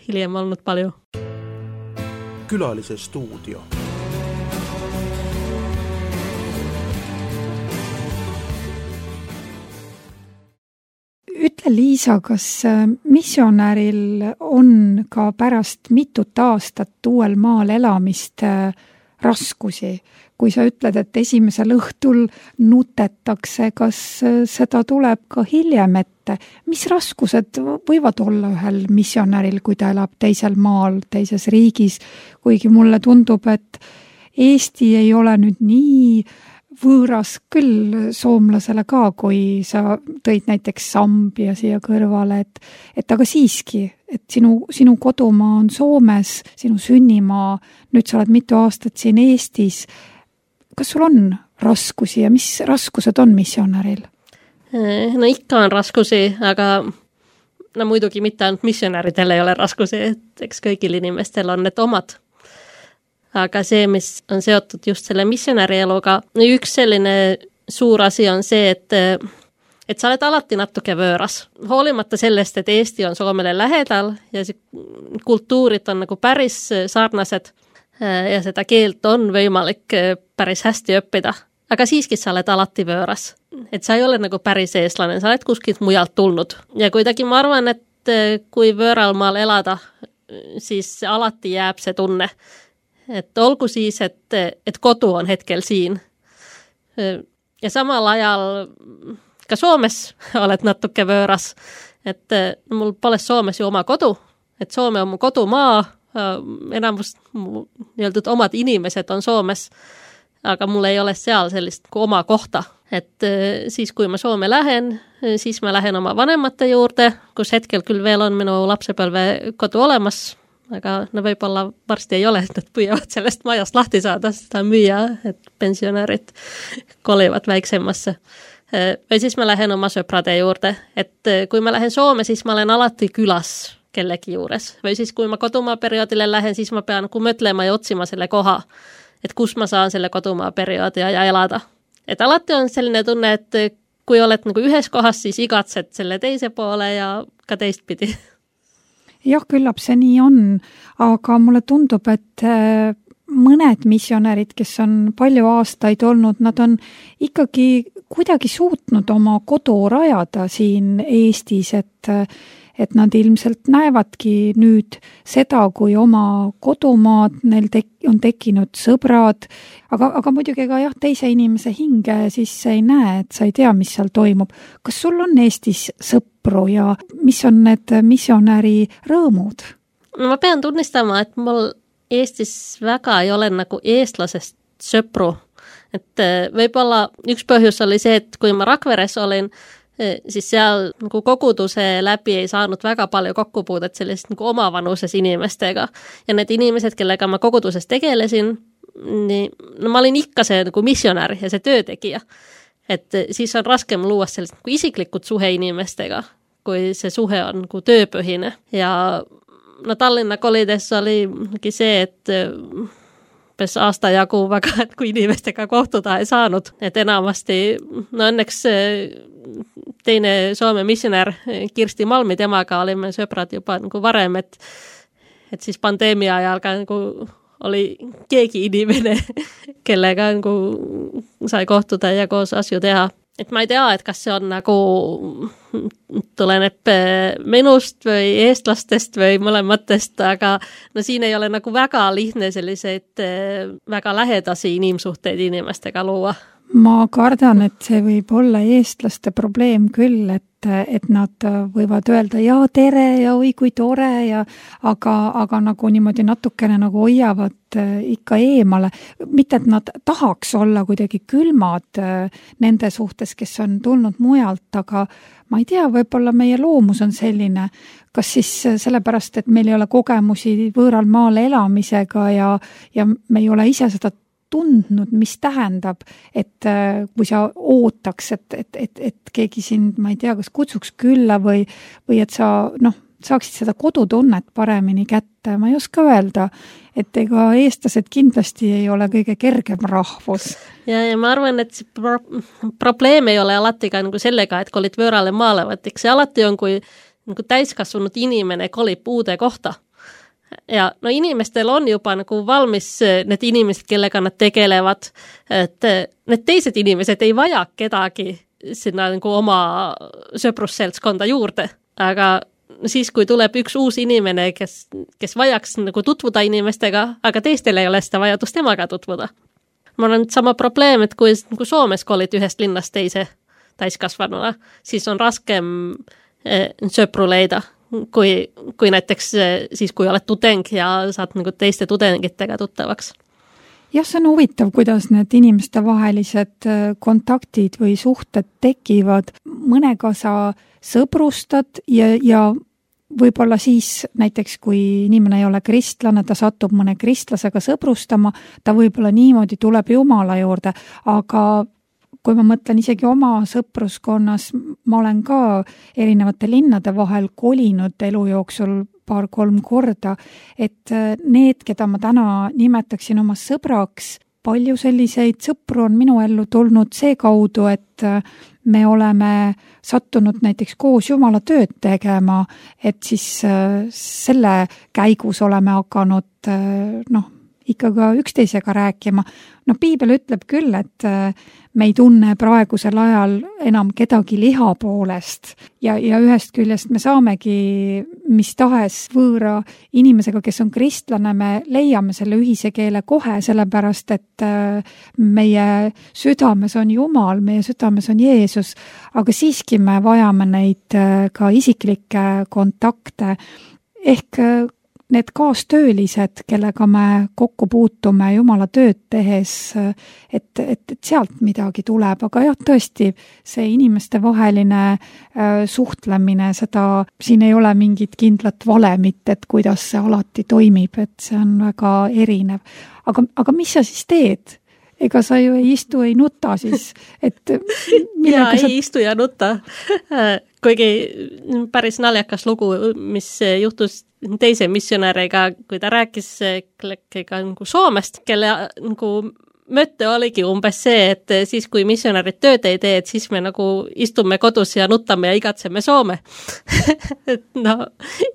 hiljem olnud palju. Külalise stuudio. Ütle, Liisa, kas missionäril on ka pärast mitut aastat uuel maal elamist raskusi? Kui sa ütled, et esimesel õhtul nutetakse, kas seda tuleb ka hiljem ette? Mis raskused võivad olla ühel missionäril, kui ta elab teisel maal, teises riigis? Kuigi mulle tundub, et Eesti ei ole nüüd nii võõras küll soomlasele ka, kui sa tõid näiteks Sambia siia kõrvale, et, et aga siiski, et sinu, sinu kodumaa on Soomes, sinu sünnimaa, nüüd sa oled mitu aastat siin Eestis. Kas sul on raskusi ja mis raskused on missionäril? No ikka on raskusi, aga no muidugi mitte ainult missionäridel ei ole raskusi, et eks kõigil inimestel on need omad. Aga see, mis on seotud just selle missionäri eluga, üks selline suur asi on see, et, et sa oled alati natuke võõras. Hoolimata sellest, et Eesti on Soomele lähedal ja see kultuurid on nagu päris sarnased ja seda keelt on võimalik päris hästi õppida. Aga siiski sa oled alati võõras. Et sa ei ole nagu päris eestlane, sa oled kuskilt mujalt tulnud. Ja kuidagi ma arvan, et kui võõral maal elada, siis alati jääb see tunne. Et olgu siis, et, et kodu on hetkel siin. Ja samal ajal ka Soomes oled natuke võõras. Et mul pole Soomes ju oma kodu. Et Soome on mu kodumaa, enamus mu nii-öelda omad inimesed on Soomes, aga mul ei ole seal sellist oma kohta. Et siis, kui ma Soome lähen, siis ma lähen oma vanemate juurde, kus hetkel küll veel on minu lapsepõlve kodu olemas, aga no võib-olla varsti ei ole, et nad püüavad sellest majast lahti saada, seda müüa, et pensionärid kolivad väiksemasse. Või siis ma lähen oma sõprade juurde, et kui ma lähen Soome, siis ma olen alati külas kellegi juures. Või siis kui ma kodumaa perioodile lähen, siis ma pean kui mõtlema ja otsima selle koha, et kus ma saan selle kodumaa perioodi ja elada. Et alati on selline tunne, et kui oled nagu ühes kohas, siis igatsed selle teise poole ja ka teistpidi. Jah, küllap see nii on, aga mulle tundub, et mõned missionärid, kes on palju aastaid olnud, nad on ikkagi kuidagi suutnud oma kodu rajada siin Eestis, et, et nad ilmselt näevadki nüüd seda, kui oma kodumaad, neil tek- on tekkinud sõbrad, aga, aga muidugi ka jah, teise inimese hinge siis ei näe, et sa ei tea, mis seal toimub. Kas sul on Eestis sõpru ja mis on need missionäri rõõmud? No ma pean tunnistama, et mul Eestis väga ei ole nagu eestlasest sõpru. Et võib-olla üks põhjus oli see, et kui ma Rakveres olin, siis seal nagu koguduse läbi ei saanud väga palju kokkupuudet sellist nagu omavanuses inimestega. Ja need inimesed, kellega ma koguduses tegelesin, nii, no ma olin ikka see nagu missionär ja see töötegija. Et siis on raskem luua sellist nagu isiklikud suhe inimestega, kui see suhe on nagu tööpõhine. Ja no Tallinna kolides oli see, et pes aasta jagu väga, et kui inimestega kohtuda ei saanud. Et enamasti, no õnneks teine Soome missionär Kirsti Malmi, temaga olime sõbrad juba nagu varem, et, et siis pandeemia ajal ka nagu oli keegi inimene, kellega nagu sai kohtuda ja koos asju teha. Et ma ei tea, et kas see on nagu tuleneb minust või eestlastest või mõlematest, aga no siin ei ole nagu väga lihtne selliseid väga lähedasi inimsuhteid inimestega luua. Ma kardan, et see võib olla eestlaste probleem küll, et, et nad võivad öelda ja tere ja oi kui tore, ja, aga, aga nagu niimoodi natukene nagu hoiavad ikka eemale. Mitte, et nad tahaks olla kuidagi külmad nende suhtes, kes on tulnud mujalt, aga ma ei tea, võib-olla meie loomus on selline, kas siis sellepärast, et meil ei ole kogemusi võõral maal elamisega ja, ja me ei ole ise seda tundnud, mis tähendab, et kui sa ootaks, et, et, et, et keegi sind, ma ei tea, kas kutsuks külla või, või et sa noh, saaksid seda kodutunnet paremini kätte. Ma ei oska öelda, et ega eestlased kindlasti ei ole kõige kergem rahvus. Ja, ja ma arvan, et see pro- probleem ei ole alati ka nagu sellega, et kolid võõrale maale, vaid eks see alati on, kui nagu täiskasvanud inimene kolib uude kohta. Ja no inimestel on juba nagu valmis need inimesed, kellega nad tegelevad, et need teised inimesed ei vaja kedagi sinna nagu oma sõprusseltskonda juurde, aga siis, kui tuleb üks uus inimene, kes, kes vajaks nagu tutvuda inimestega, aga teistel ei ole seda vajadust temaga tutvuda. Mul on sama probleem, et kui nagu Soomes kolid ühest linnast teise täiskasvanuna, siis on raskem sõpru leida, kui, kui näiteks siis, kui oled tudeng ja saad nagu teiste tudengitega tuttavaks. Jah, see on huvitav, kuidas need inimeste vahelised kontaktid või suhted tekivad. Mõnega sa sõbrustad ja, ja võib-olla siis näiteks, kui inimene ei ole kristlane, ta satub mõne kristlasega sõbrustama, ta võib-olla niimoodi tuleb Jumala juurde, aga kui ma mõtlen isegi oma sõpruskonnas, ma olen ka erinevate linnade vahel kolinud elu jooksul paar-kolm korda, et need, keda ma täna nimetaksin oma sõbraks, palju selliseid sõpru on minu ellu tulnud see kaudu, et me oleme sattunud näiteks koos Jumala tööd tegema, et siis selle käigus oleme hakanud noh, ikka ka üksteisega rääkima. No piibel ütleb küll, et me ei tunne praegusel ajal enam kedagi liha poolest ja, ja ühest küljest me saamegi mis tahes võõra inimesega, kes on kristlane, me leiame selle ühise keele kohe, sellepärast et meie südames on Jumal, meie südames on Jeesus, aga siiski me vajame neid ka isiklikke kontakte ehk need kaastöölised, kellega me kokku puutume Jumala tööd tehes, et, et, et sealt midagi tuleb, aga jah, tõesti, see inimeste vaheline äh, suhtlemine, seda, siin ei ole mingit kindlat valemit, et kuidas see alati toimib, et see on väga erinev. Aga, aga mis sa siis teed? Ega sa ju ei istu, ei nuta siis, et ja sa... ei istu ja nuta. Kuigi päris naljakas lugu, mis juhtus teise missionäriga, kui ta rääkis kellegagi nagu Soomest, kelle nagu mõte oligi umbes see, et siis kui missionärid tööd ei tee, et siis me nagu istume kodus ja nutame ja igatseme Soome. Et no,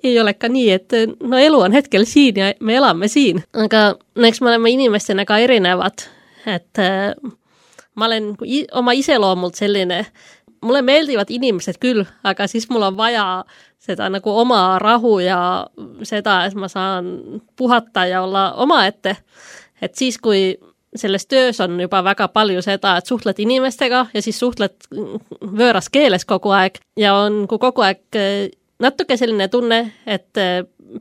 ei ole ka nii, et no elu on hetkel siin ja me elame siin. Aga eks me oleme inimestena ka erinevad, et äh, ma olen oma iseloomult selline, mulle meeldivad inimesed küll, aga siis mul on vaja seda nagu oma rahu ja seda, et ma saan puhata ja olla omaette. Et siis, kui selles töös on juba väga palju seda, et suhtled inimestega ja siis suhtled võõras keeles kogu aeg ja on kogu aeg natuke selline tunne, et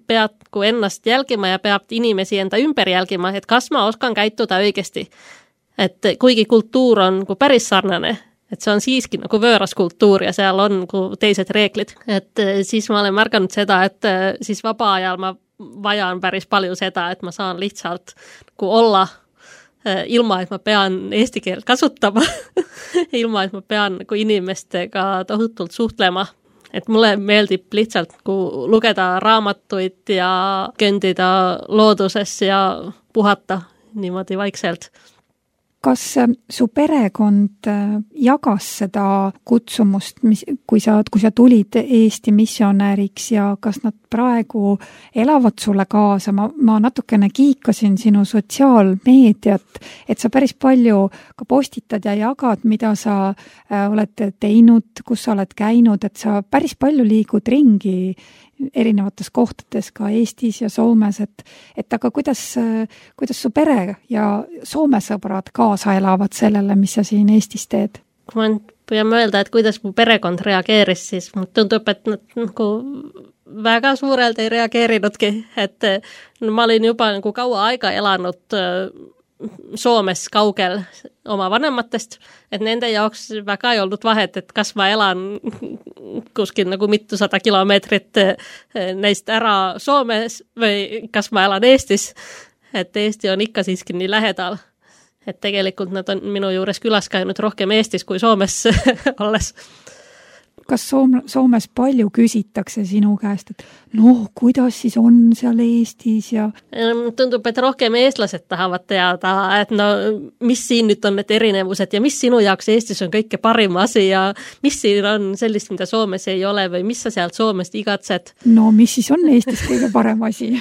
pead kui ennast jälgima ja peab inimesi enda ümber jälgima, et kas ma oskan käituda õigesti. Et kuigi kultuur on kui päris sarnane, et see on siiski nagu võõras kultuur ja seal on nagu teised reeglid. Et siis ma olen märganud seda, et siis vaba ajal ma vajan päris palju seda, et ma saan lihtsalt nagu olla ilma, et ma pean eesti keelt kasutama, ilma, et ma pean nagu inimestega tohutult suhtlema. Et mulle meeldib lihtsalt nagu lugeda raamatuid ja kõndida looduses ja puhata niimoodi vaikselt. Kas su perekond jagas seda kutsumust, mis, kui sa, kui sa tulid Eesti missionäriks ja kas nad praegu elavad sulle kaasa? Ma, ma natukene kiikasin sinu sotsiaalmeediat, et sa päris palju ka postitad ja jagad, mida sa oled teinud, kus sa oled käinud, et sa päris palju liigud ringi erinevates kohtades ka Eestis ja Soomes, et, et aga kuidas, kuidas su pere ja Soome sõbrad kaasa elavad sellele, mis sa siin Eestis teed? Kui ma püüan öelda, et kuidas mu perekond reageeris, siis mul tundub, et nad nagu väga suurelt ei reageerinudki, et no, ma olin juba nagu kaua aega elanud Soomes kaugel oma vanematest, et nende jaoks väga ei olnud vahet, et kas ma elan kuskil nagu mitusada kilomeetrit neist ära Soomes või kas ma elan Eestis, et Eesti on ikka siiski nii lähedal, et tegelikult nad on minu juures külas käinud rohkem Eestis kui Soomes olles. Kas Soom- Soomes palju küsitakse sinu käest, et noh, kuidas siis on seal Eestis ja... Tundub, et rohkem eestlased tahavad teada, et no mis siin nüüd on need erinevused ja mis sinu jaoks Eestis on kõike parim asi ja mis siin on sellist, mida Soomes ei ole või mis sa sealt Soomest igatsed? No mis siis on Eestis kõige parem asi?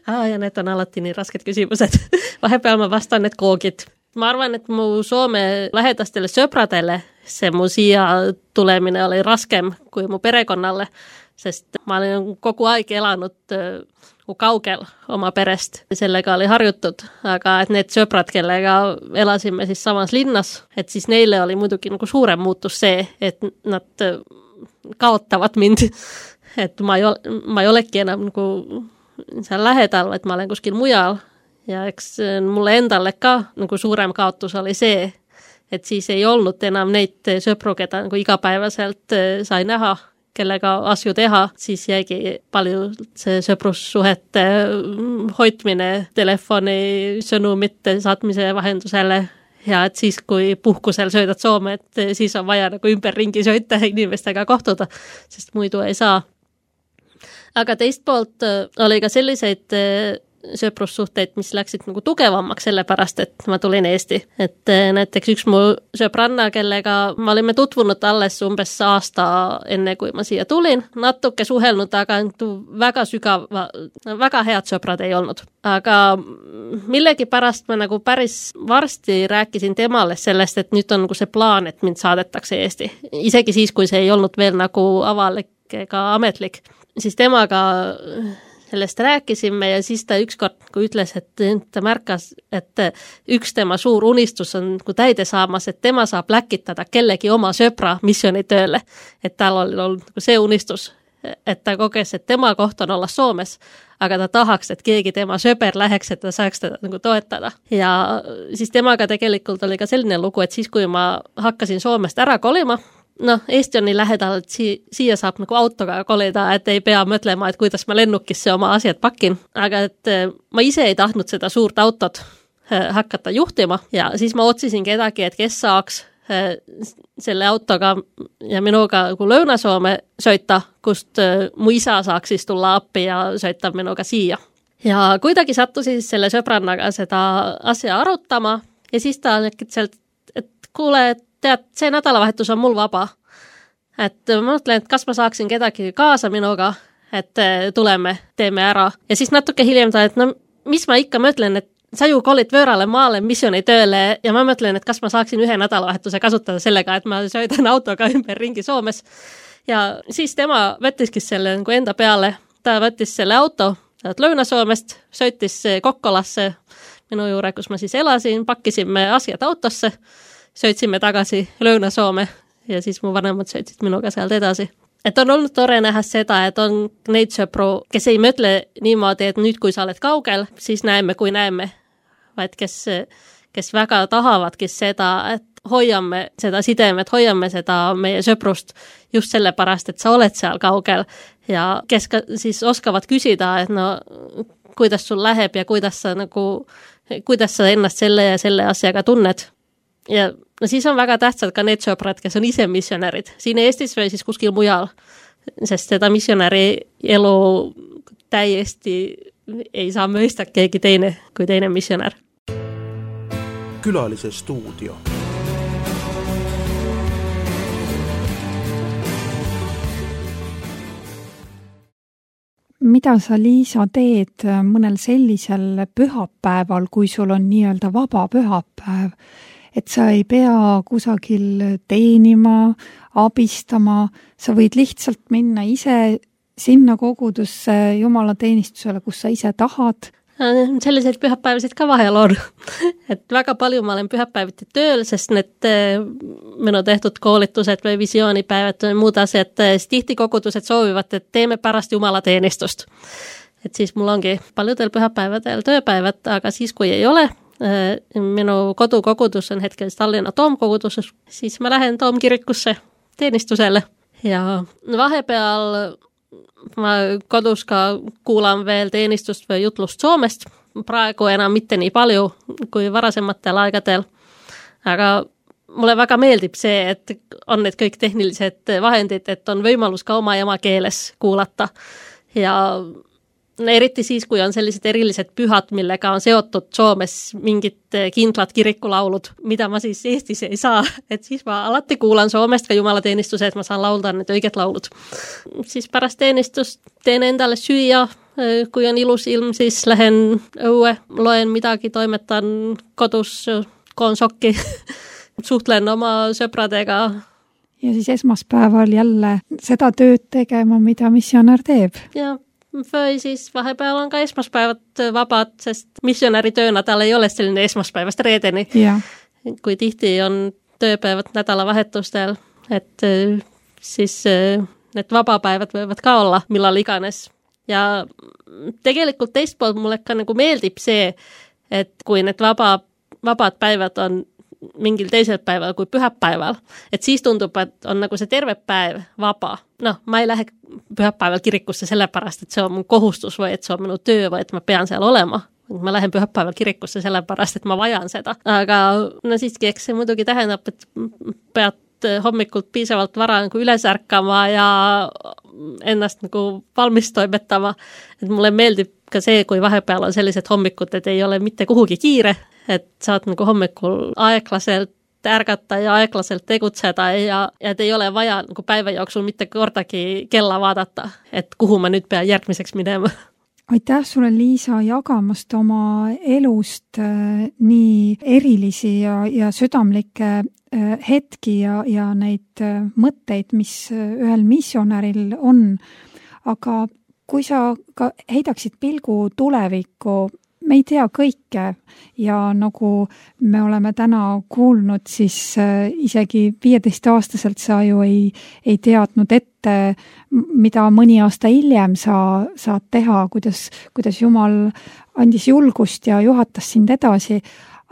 Ah, ja need on alati nii rasked küsimused. Vahepeal ma vastan need koogid. Ma arvan, et mu Soome lähedastele sõpradele see mu siia tulemine oli raskem kui mu perekonnalle, sest ma olen kogu aeg elanud uh, kaugel oma perest. Sellega oli harjutud, aga et need sõprad, kellega elasime siis samas linnas, et siis neile oli muidugi nagu suurem muutus see, et nad kaotavad mind. Et ma ei, ole, ma ei olegi enam nagu seal lähedal, et ma olen kuskil mujal. Ja eks mulle endale ka nagu suurem kaotus oli see, et siis ei olnud enam neid sõpru, keda nagu igapäevaselt sai näha, kellega asju teha, siis jäigi palju see sõprussuhete hoidmine telefoni sõnumite saatmise vahendusele. Ja et siis, kui puhkusel söödad Soome, et siis on vaja nagu ümberringi sõita inimestega kohtuda, sest muidu ei saa. Aga teist poolt oli ka selliseid sõprussuhteid, mis läksid nagu tugevamaks sellepärast, et ma tulin Eesti. Et näiteks üks mu sõbranna, kellega ma olime tutvunud alles umbes aasta enne, kui ma siia tulin. Natuke suhelnud, aga väga sügava, väga head sõprad ei olnud. Aga millegi pärast ma nagu päris varsti rääkisin temale sellest, et nüüd on nagu see plaan, et mind saadetakse Eesti. Isegi siis, kui see ei olnud veel nagu avalik ega ametlik, siis temaga sellest rääkisime ja siis ta ükskord kui ütles, et ta märkas, et üks tema suur unistus on kui täide saamas, et tema saab läkitada kellegi oma sõpra missioonitööle. Et tal oli olnud see unistus, et ta koges, et tema koht on olla Soomes, aga ta tahaks, et keegi tema sõber läheks, et ta saaks teda nagu toetada. Ja siis temaga tegelikult oli ka selline lugu, et siis kui ma hakkasin Soomest ära kolima, noh, Eesti on nii lähedal, et si- siia saab nagu autoga kolida, et ei pea mõtlema, et kuidas ma lennukisse oma asjad pakin. Aga et ma ise ei tahtnud seda suurt autot hakata juhtima ja siis ma otsisin kedagi, et kes saaks selle autoga ja minuga nagu Lõuna-Soome sõita, kust mu isa saaks siis tulla appi ja sõita minuga siia. Ja kuidagi sattusin selle sõbrannaga seda asja arutama ja siis ta sealt, et kuule, et tead, see nädalavahetus on mul vaba. Et ma mõtlen, et kas ma saaksin kedagi kaasa minuga, et tuleme, teeme ära. Ja siis natuke hiljem ta, et no mis ma ikka mõtlen, et sa ju kolid võõrale maale missioonitööle ja ma mõtlen, et kas ma saaksin ühe nädalavahetuse kasutada sellega, et ma sõidan autoga ümber ringi Soomes. Ja siis tema võttiski selle nagu enda peale. Ta võttis selle auto Lõuna-Soomest, sõitis Kokkolasse minu juure, kus ma siis elasin, pakkisime asjad autosse, sõitsime tagasi Lõuna-Soome ja siis mu vanemad sõitsid minuga sealt edasi. Et on olnud tore näha seda, et on neid sõpru, kes ei mõtle niimoodi, et nüüd kui sa oled kaugel, siis näeme, kui näeme, vaid kes, kes väga tahavadki seda, et hoiame seda sidemet, hoiame seda meie sõprust just sellepärast, et sa oled seal kaugel ja kes ka siis oskavad küsida, et no kuidas sul läheb ja kuidas sa nagu, kuidas sa ennast selle ja selle asjaga tunned. Ja no siis on väga tähtsad ka need sõprad, kes on ise missionärid siin Eestis või siis kuskil mujal, sest seda missionäri elu täiesti ei saa mõista keegi teine kui teine missionär. Külalise stuudio. Mida sa, Liisa, teed mõnel sellisel pühapäeval, kui sul on nii-öelda vaba pühapäev, et sa ei pea kusagil teenima, abistama, sa võid lihtsalt minna ise sinna kogudusse jumalateenistusele, kus sa ise tahad? Selliseid pühapäevasid ka vahel on. Et väga palju ma olen pühapäeviti tööl, sest need minu tehtud koolitused või visioonipäevad või muud asjad, tihti kogudused soovivad, et teeme pärast jumalateenistust. Et siis mul ongi paljudel pühapäevadel tööpäevad, aga siis kui ei ole, minu kodukogudus on hetkel Tallinna Toomkoguduses, siis ma lähen Toomkirikusse teenistusele ja vahepeal ma kodus ka kuulan veel teenistust või jutlust Soomest, praegu enam mitte nii palju kui varasematel aegadel, aga mulle väga meeldib see, et on need kõik tehnilised vahendid, et on võimalus ka oma emakeeles kuulata ja eriti siis, kui on sellised erilised pühad, millega on seotud Soomes mingid kindlad kirikulaulud, mida ma siis Eestis ei saa, et siis ma alati kuulan Soomest ka jumalateenistuse, et ma saan laulda need õiged laulud. Siis pärast teenistust teen endale süüa, kui on ilus ilm, siis lähen õue, loen midagi, toimetan kodus, koon sokki, suhtlen oma sõpradega. Ja siis esmaspäeval jälle seda tööd tegema, mida missionär teeb. Ja või siis vahepeal on ka esmaspäevad vabad, sest missionäri töönädal ei ole selline esmaspäevast reedeni. Ja. Kui tihti on tööpäevad nädalavahetustel, et siis need vabapäevad võivad ka olla millal iganes. Ja tegelikult teist poolt mulle ka nagu meeldib see, et kui need vaba, vabad päevad on mingil teisel päeval kui pühapäeval, et siis tundub, et on nagu see terve päev vaba. Noh, ma ei lähe pühapäeval kirikusse sellepärast, et see on mun kohustus või et see on minu töö või et ma pean seal olema. Ma lähen pühapäeval kirikusse sellepärast, et ma vajan seda. Aga no siiski, eks see muidugi tähendab, et pead hommikult piisavalt vara nagu üles ärkama ja ennast nagu valmis toimetama. Et mulle meeldib ka see, kui vahepeal on sellised hommikud, et ei ole mitte kuhugi kiire, et saad nagu hommikul aeglaselt ärgata ja aeglaselt tegutseda ja, ja et ei ole vaja nagu päeva jooksul mitte kordagi kella vaadata, et kuhu ma nüüd pean järgmiseks minema. Aitäh sulle, Liisa, jagamast oma elust äh, nii erilisi ja, ja südamlikke äh, hetki ja, ja neid äh, mõtteid, mis ühel missionäril on. Aga kui sa ka heidaksid pilgu tulevikku, me ei tea kõike ja nagu me oleme täna kuulnud, siis äh, isegi viieteist-aastaselt sa ju ei, ei teadnud ette, mida mõni aasta hiljem sa saad teha, kuidas, kuidas Jumal andis julgust ja juhatas sind edasi.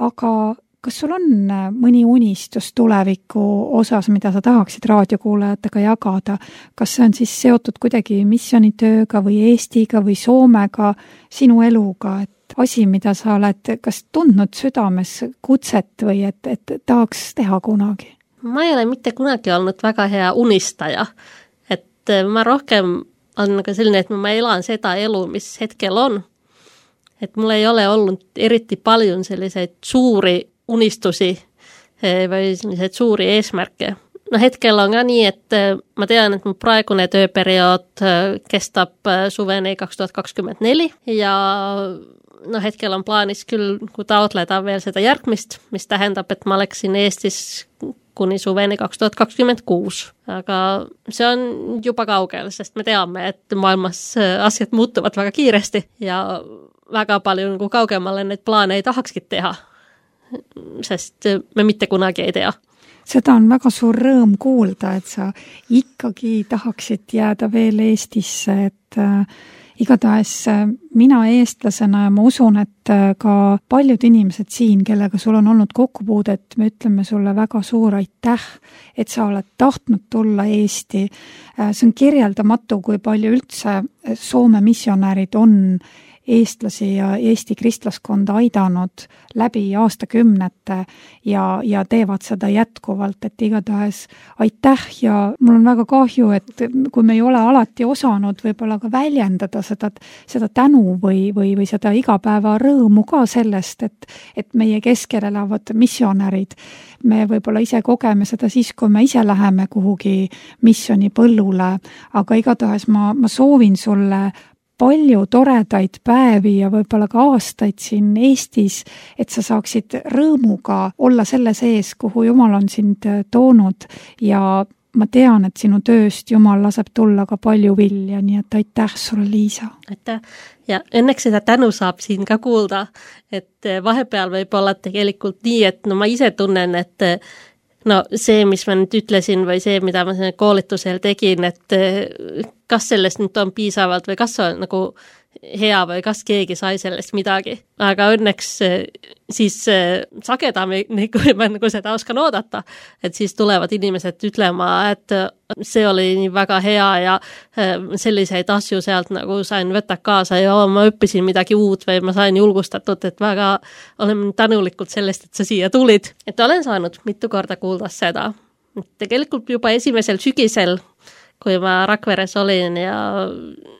Aga kas sul on mõni unistus tuleviku osas, mida sa tahaksid raadiokuulajatega jagada? Kas see on siis seotud kuidagi missionitööga või Eestiga või Soomega, sinu eluga, et asi, mida sa oled kas tundnud südames kutset või et, et tahaks teha kunagi? Ma ei ole mitte kunagi olnud väga hea unistaja. Et ma rohkem on nagu selline, et ma elan seda elu, mis hetkel on. Et mul ei ole olnud eriti paljon selliseid suuri unistusi või selliseid suuri eesmärke. No hetkel on ka nii, et ma tean, et mu praegune tööperiood kestab suveni kaks tuhat kakskümmend neli ja no hetkel on plaanis küll taotleda veel seda järgmist, mis tähendab, et ma oleksin Eestis kuni suveni kaks tuhat kakskümmend kuus. Aga see on juba kaugel, sest me teame, et maailmas asjad muutuvad väga kiiresti ja väga palju nagu kaugemale neid plaane ei tahakski teha, sest me mitte kunagi ei tea. Seda on väga suur rõõm kuulda, et sa ikkagi tahaksid jääda veel Eestisse, et äh, igatahes äh, mina eestlasena ja ma usun, et äh, ka paljud inimesed siin, kellega sul on olnud kokkupuudet, me ütleme sulle väga suur aitäh, et sa oled tahtnud tulla Eesti. Äh, see on kirjeldamatu, kui palju üldse Soome missionärid on eestlasi ja Eesti kristlaskonda aidanud läbi aastakümnete ja, ja teevad seda jätkuvalt, et igatahes aitäh ja mul on väga kahju, et kui me ei ole alati osanud võib-olla ka väljendada seda, seda tänu või, või, või seda igapäeva rõõmu ka sellest, et, et meie keskel elavad missionärid. Me võib-olla ise kogeme seda siis, kui me ise läheme kuhugi missioni põllule, aga igatahes ma, ma soovin sulle palju toredaid päevi ja võib-olla ka aastaid siin Eestis, et sa saaksid rõõmuga olla selle sees, kuhu Jumal on sind toonud ja ma tean, et sinu tööst Jumal laseb tulla ka palju vilja, nii et aitäh sulle, Liisa. Aitäh. Ja õnneks seda tänu saab siin ka kuulda, et vahepeal võib olla tegelikult nii, et no ma ise tunnen, et no see, mis ma nüüd ütlesin või see, mida ma koolitusel tegin, et kas sellest nüüd on piisavalt või kas on nagu hea või kas keegi sai sellest midagi. Aga õnneks siis sagedamini, kui ma nagu seda oskan oodata, et siis tulevad inimesed ütlema, et see oli nii väga hea ja selliseid asju sealt nagu sain võtta kaasa ja ma õppisin midagi uut või ma sain julgustatud, et väga olen tänulikult sellest, et sa siia tulid. Et olen saanud mitu korda kuulda seda. Tegelikult juba esimesel sügisel, kui ma Rakveres olin ja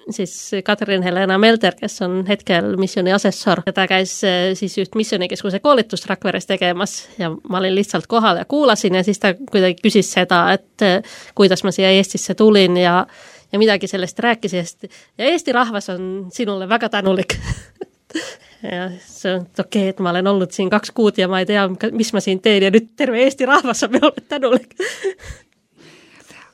siis Katrin Helena Melder, kes on hetkel missioni asessor, ta käis siis just missionikeskuse koolitust Rakveres tegemas ja ma olin lihtsalt kohal ja kuulasin ja siis ta kuidagi küsis seda, et kuidas ma siia Eestisse tulin ja, ja midagi sellest rääkisest ja Eesti rahvas on sinule väga tänulik. Ja see on okei, okay, et ma olen olnud siin kaks kuud ja ma ei tea, mis ma siin teen ja nüüd terve Eesti rahvas on minule tänulik.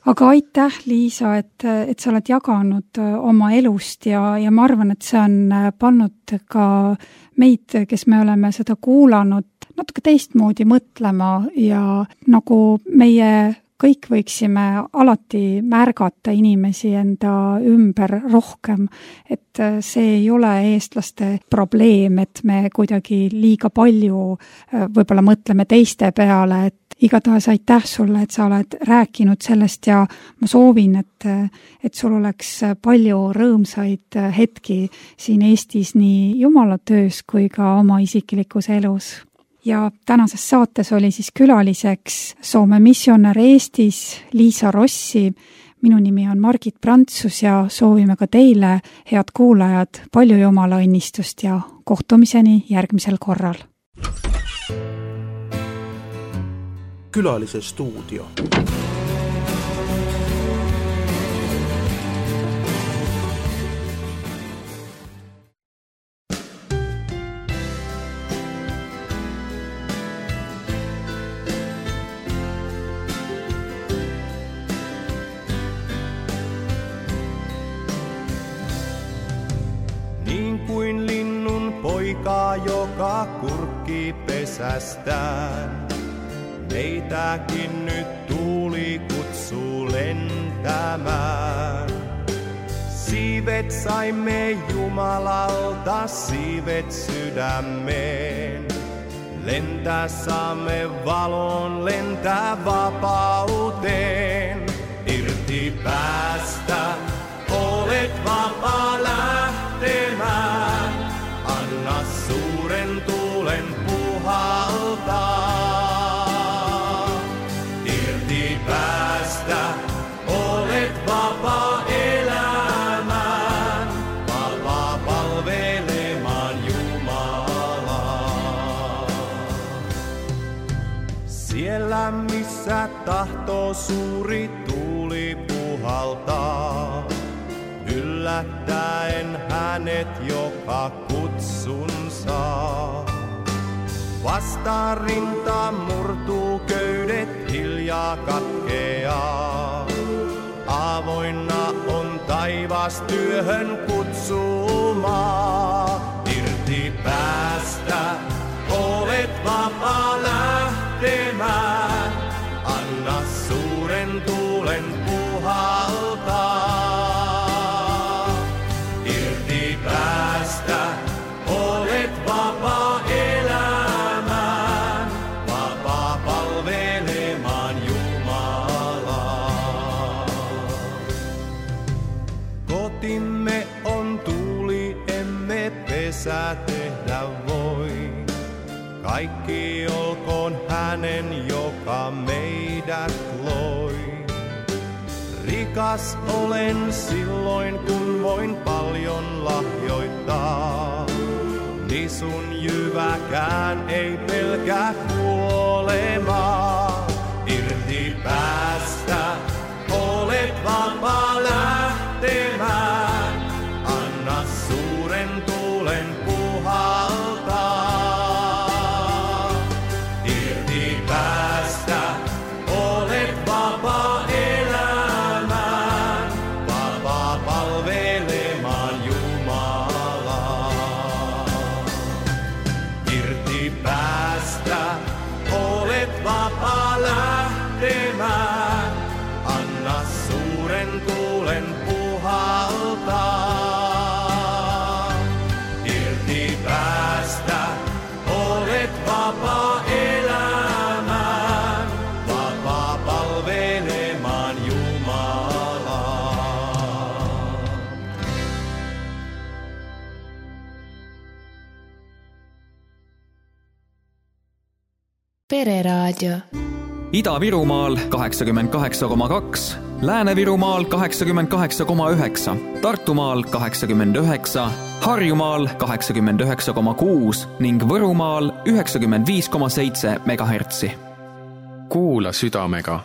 Aga aitäh, Liisa, et, et sa oled jaganud oma elust ja, ja ma arvan, et see on pannud ka meid, kes me oleme seda kuulanud, natuke teistmoodi mõtlema ja nagu meie kõik võiksime alati märgata inimesi enda ümber rohkem, et see ei ole eestlaste probleem, et me kuidagi liiga palju võib-olla mõtleme teiste peale, et igatahes aitäh sulle, et sa oled rääkinud sellest ja ma soovin, et, et sul oleks palju rõõmsaid hetki siin Eestis nii Jumala töös kui ka oma isiklikus elus. Ja tänases saates oli siis külaliseks Soome missionär Eestis Liisa Rossi. Minu nimi on Margit Prantsus ja soovime ka teile, head kuulajad, palju Jumala õnnistust ja kohtumiseni järgmisel korral. Külalise stuudio. Kuin linnun poika, joka kurkki pesästään. Meitäkin nyt tuuli kutsuu lentämään. Siivet saimme Jumalalta, siivet sydämeen. Lentää saamme valon, lentää vapauteen. Irti päästä, olet vapaa lähtemään. Anna suuren tuulen puhaltaa. Irti päästä, olet vapaa elämään. Vapaa palvelemaan Jumalaa. Siellä missä tahtoo suuri tuuli puhaltaa. Yllättäen hänet, joka kutsun saa. Vastaan rinta murtuu, köydet hiljaa katkeaa. Avoinna on taivas työhön kutsumaa. Irti päästä, olet vapaa lähtemään. Anna suuren tuulen puhaltaa. Päästä, olet vapaa elämään, vapaa palvelemaan Jumalaa. Kotimme on tuuli, emme pesää tehdä voi. Kaikki olkoon hänen, joka meidät loi. Rikas olen silloin, kun voin paljon lahjoittaa. Nisun jyväkään ei pelkää kuolemaa. Irti päästä, olet vapaa lähtemään. Anna suuren tuulen puhaltaa. Irti päästä, olet vapaa elämään. Vapaa palvelemaan Jumalaa. Irti päästä, olet vapaa lähtemään. Anna suuren tuulen puhaltaa. Irti päästä, olet vapaa elämään. Vapaa palvelemaan Jumalaa. Pereraadio. Ida-Virumaal kaheksakümmend kaheksa koma kaks, Lääne-Virumaal kaheksakümmend kaheksa koma üheksa, Tartumaal kaheksakümmend üheksa, Harjumaal kaheksakümmend üheksa koma kuus ning Võrumaal üheksakümmend viis koma seitse megahertsi. Kuula südamega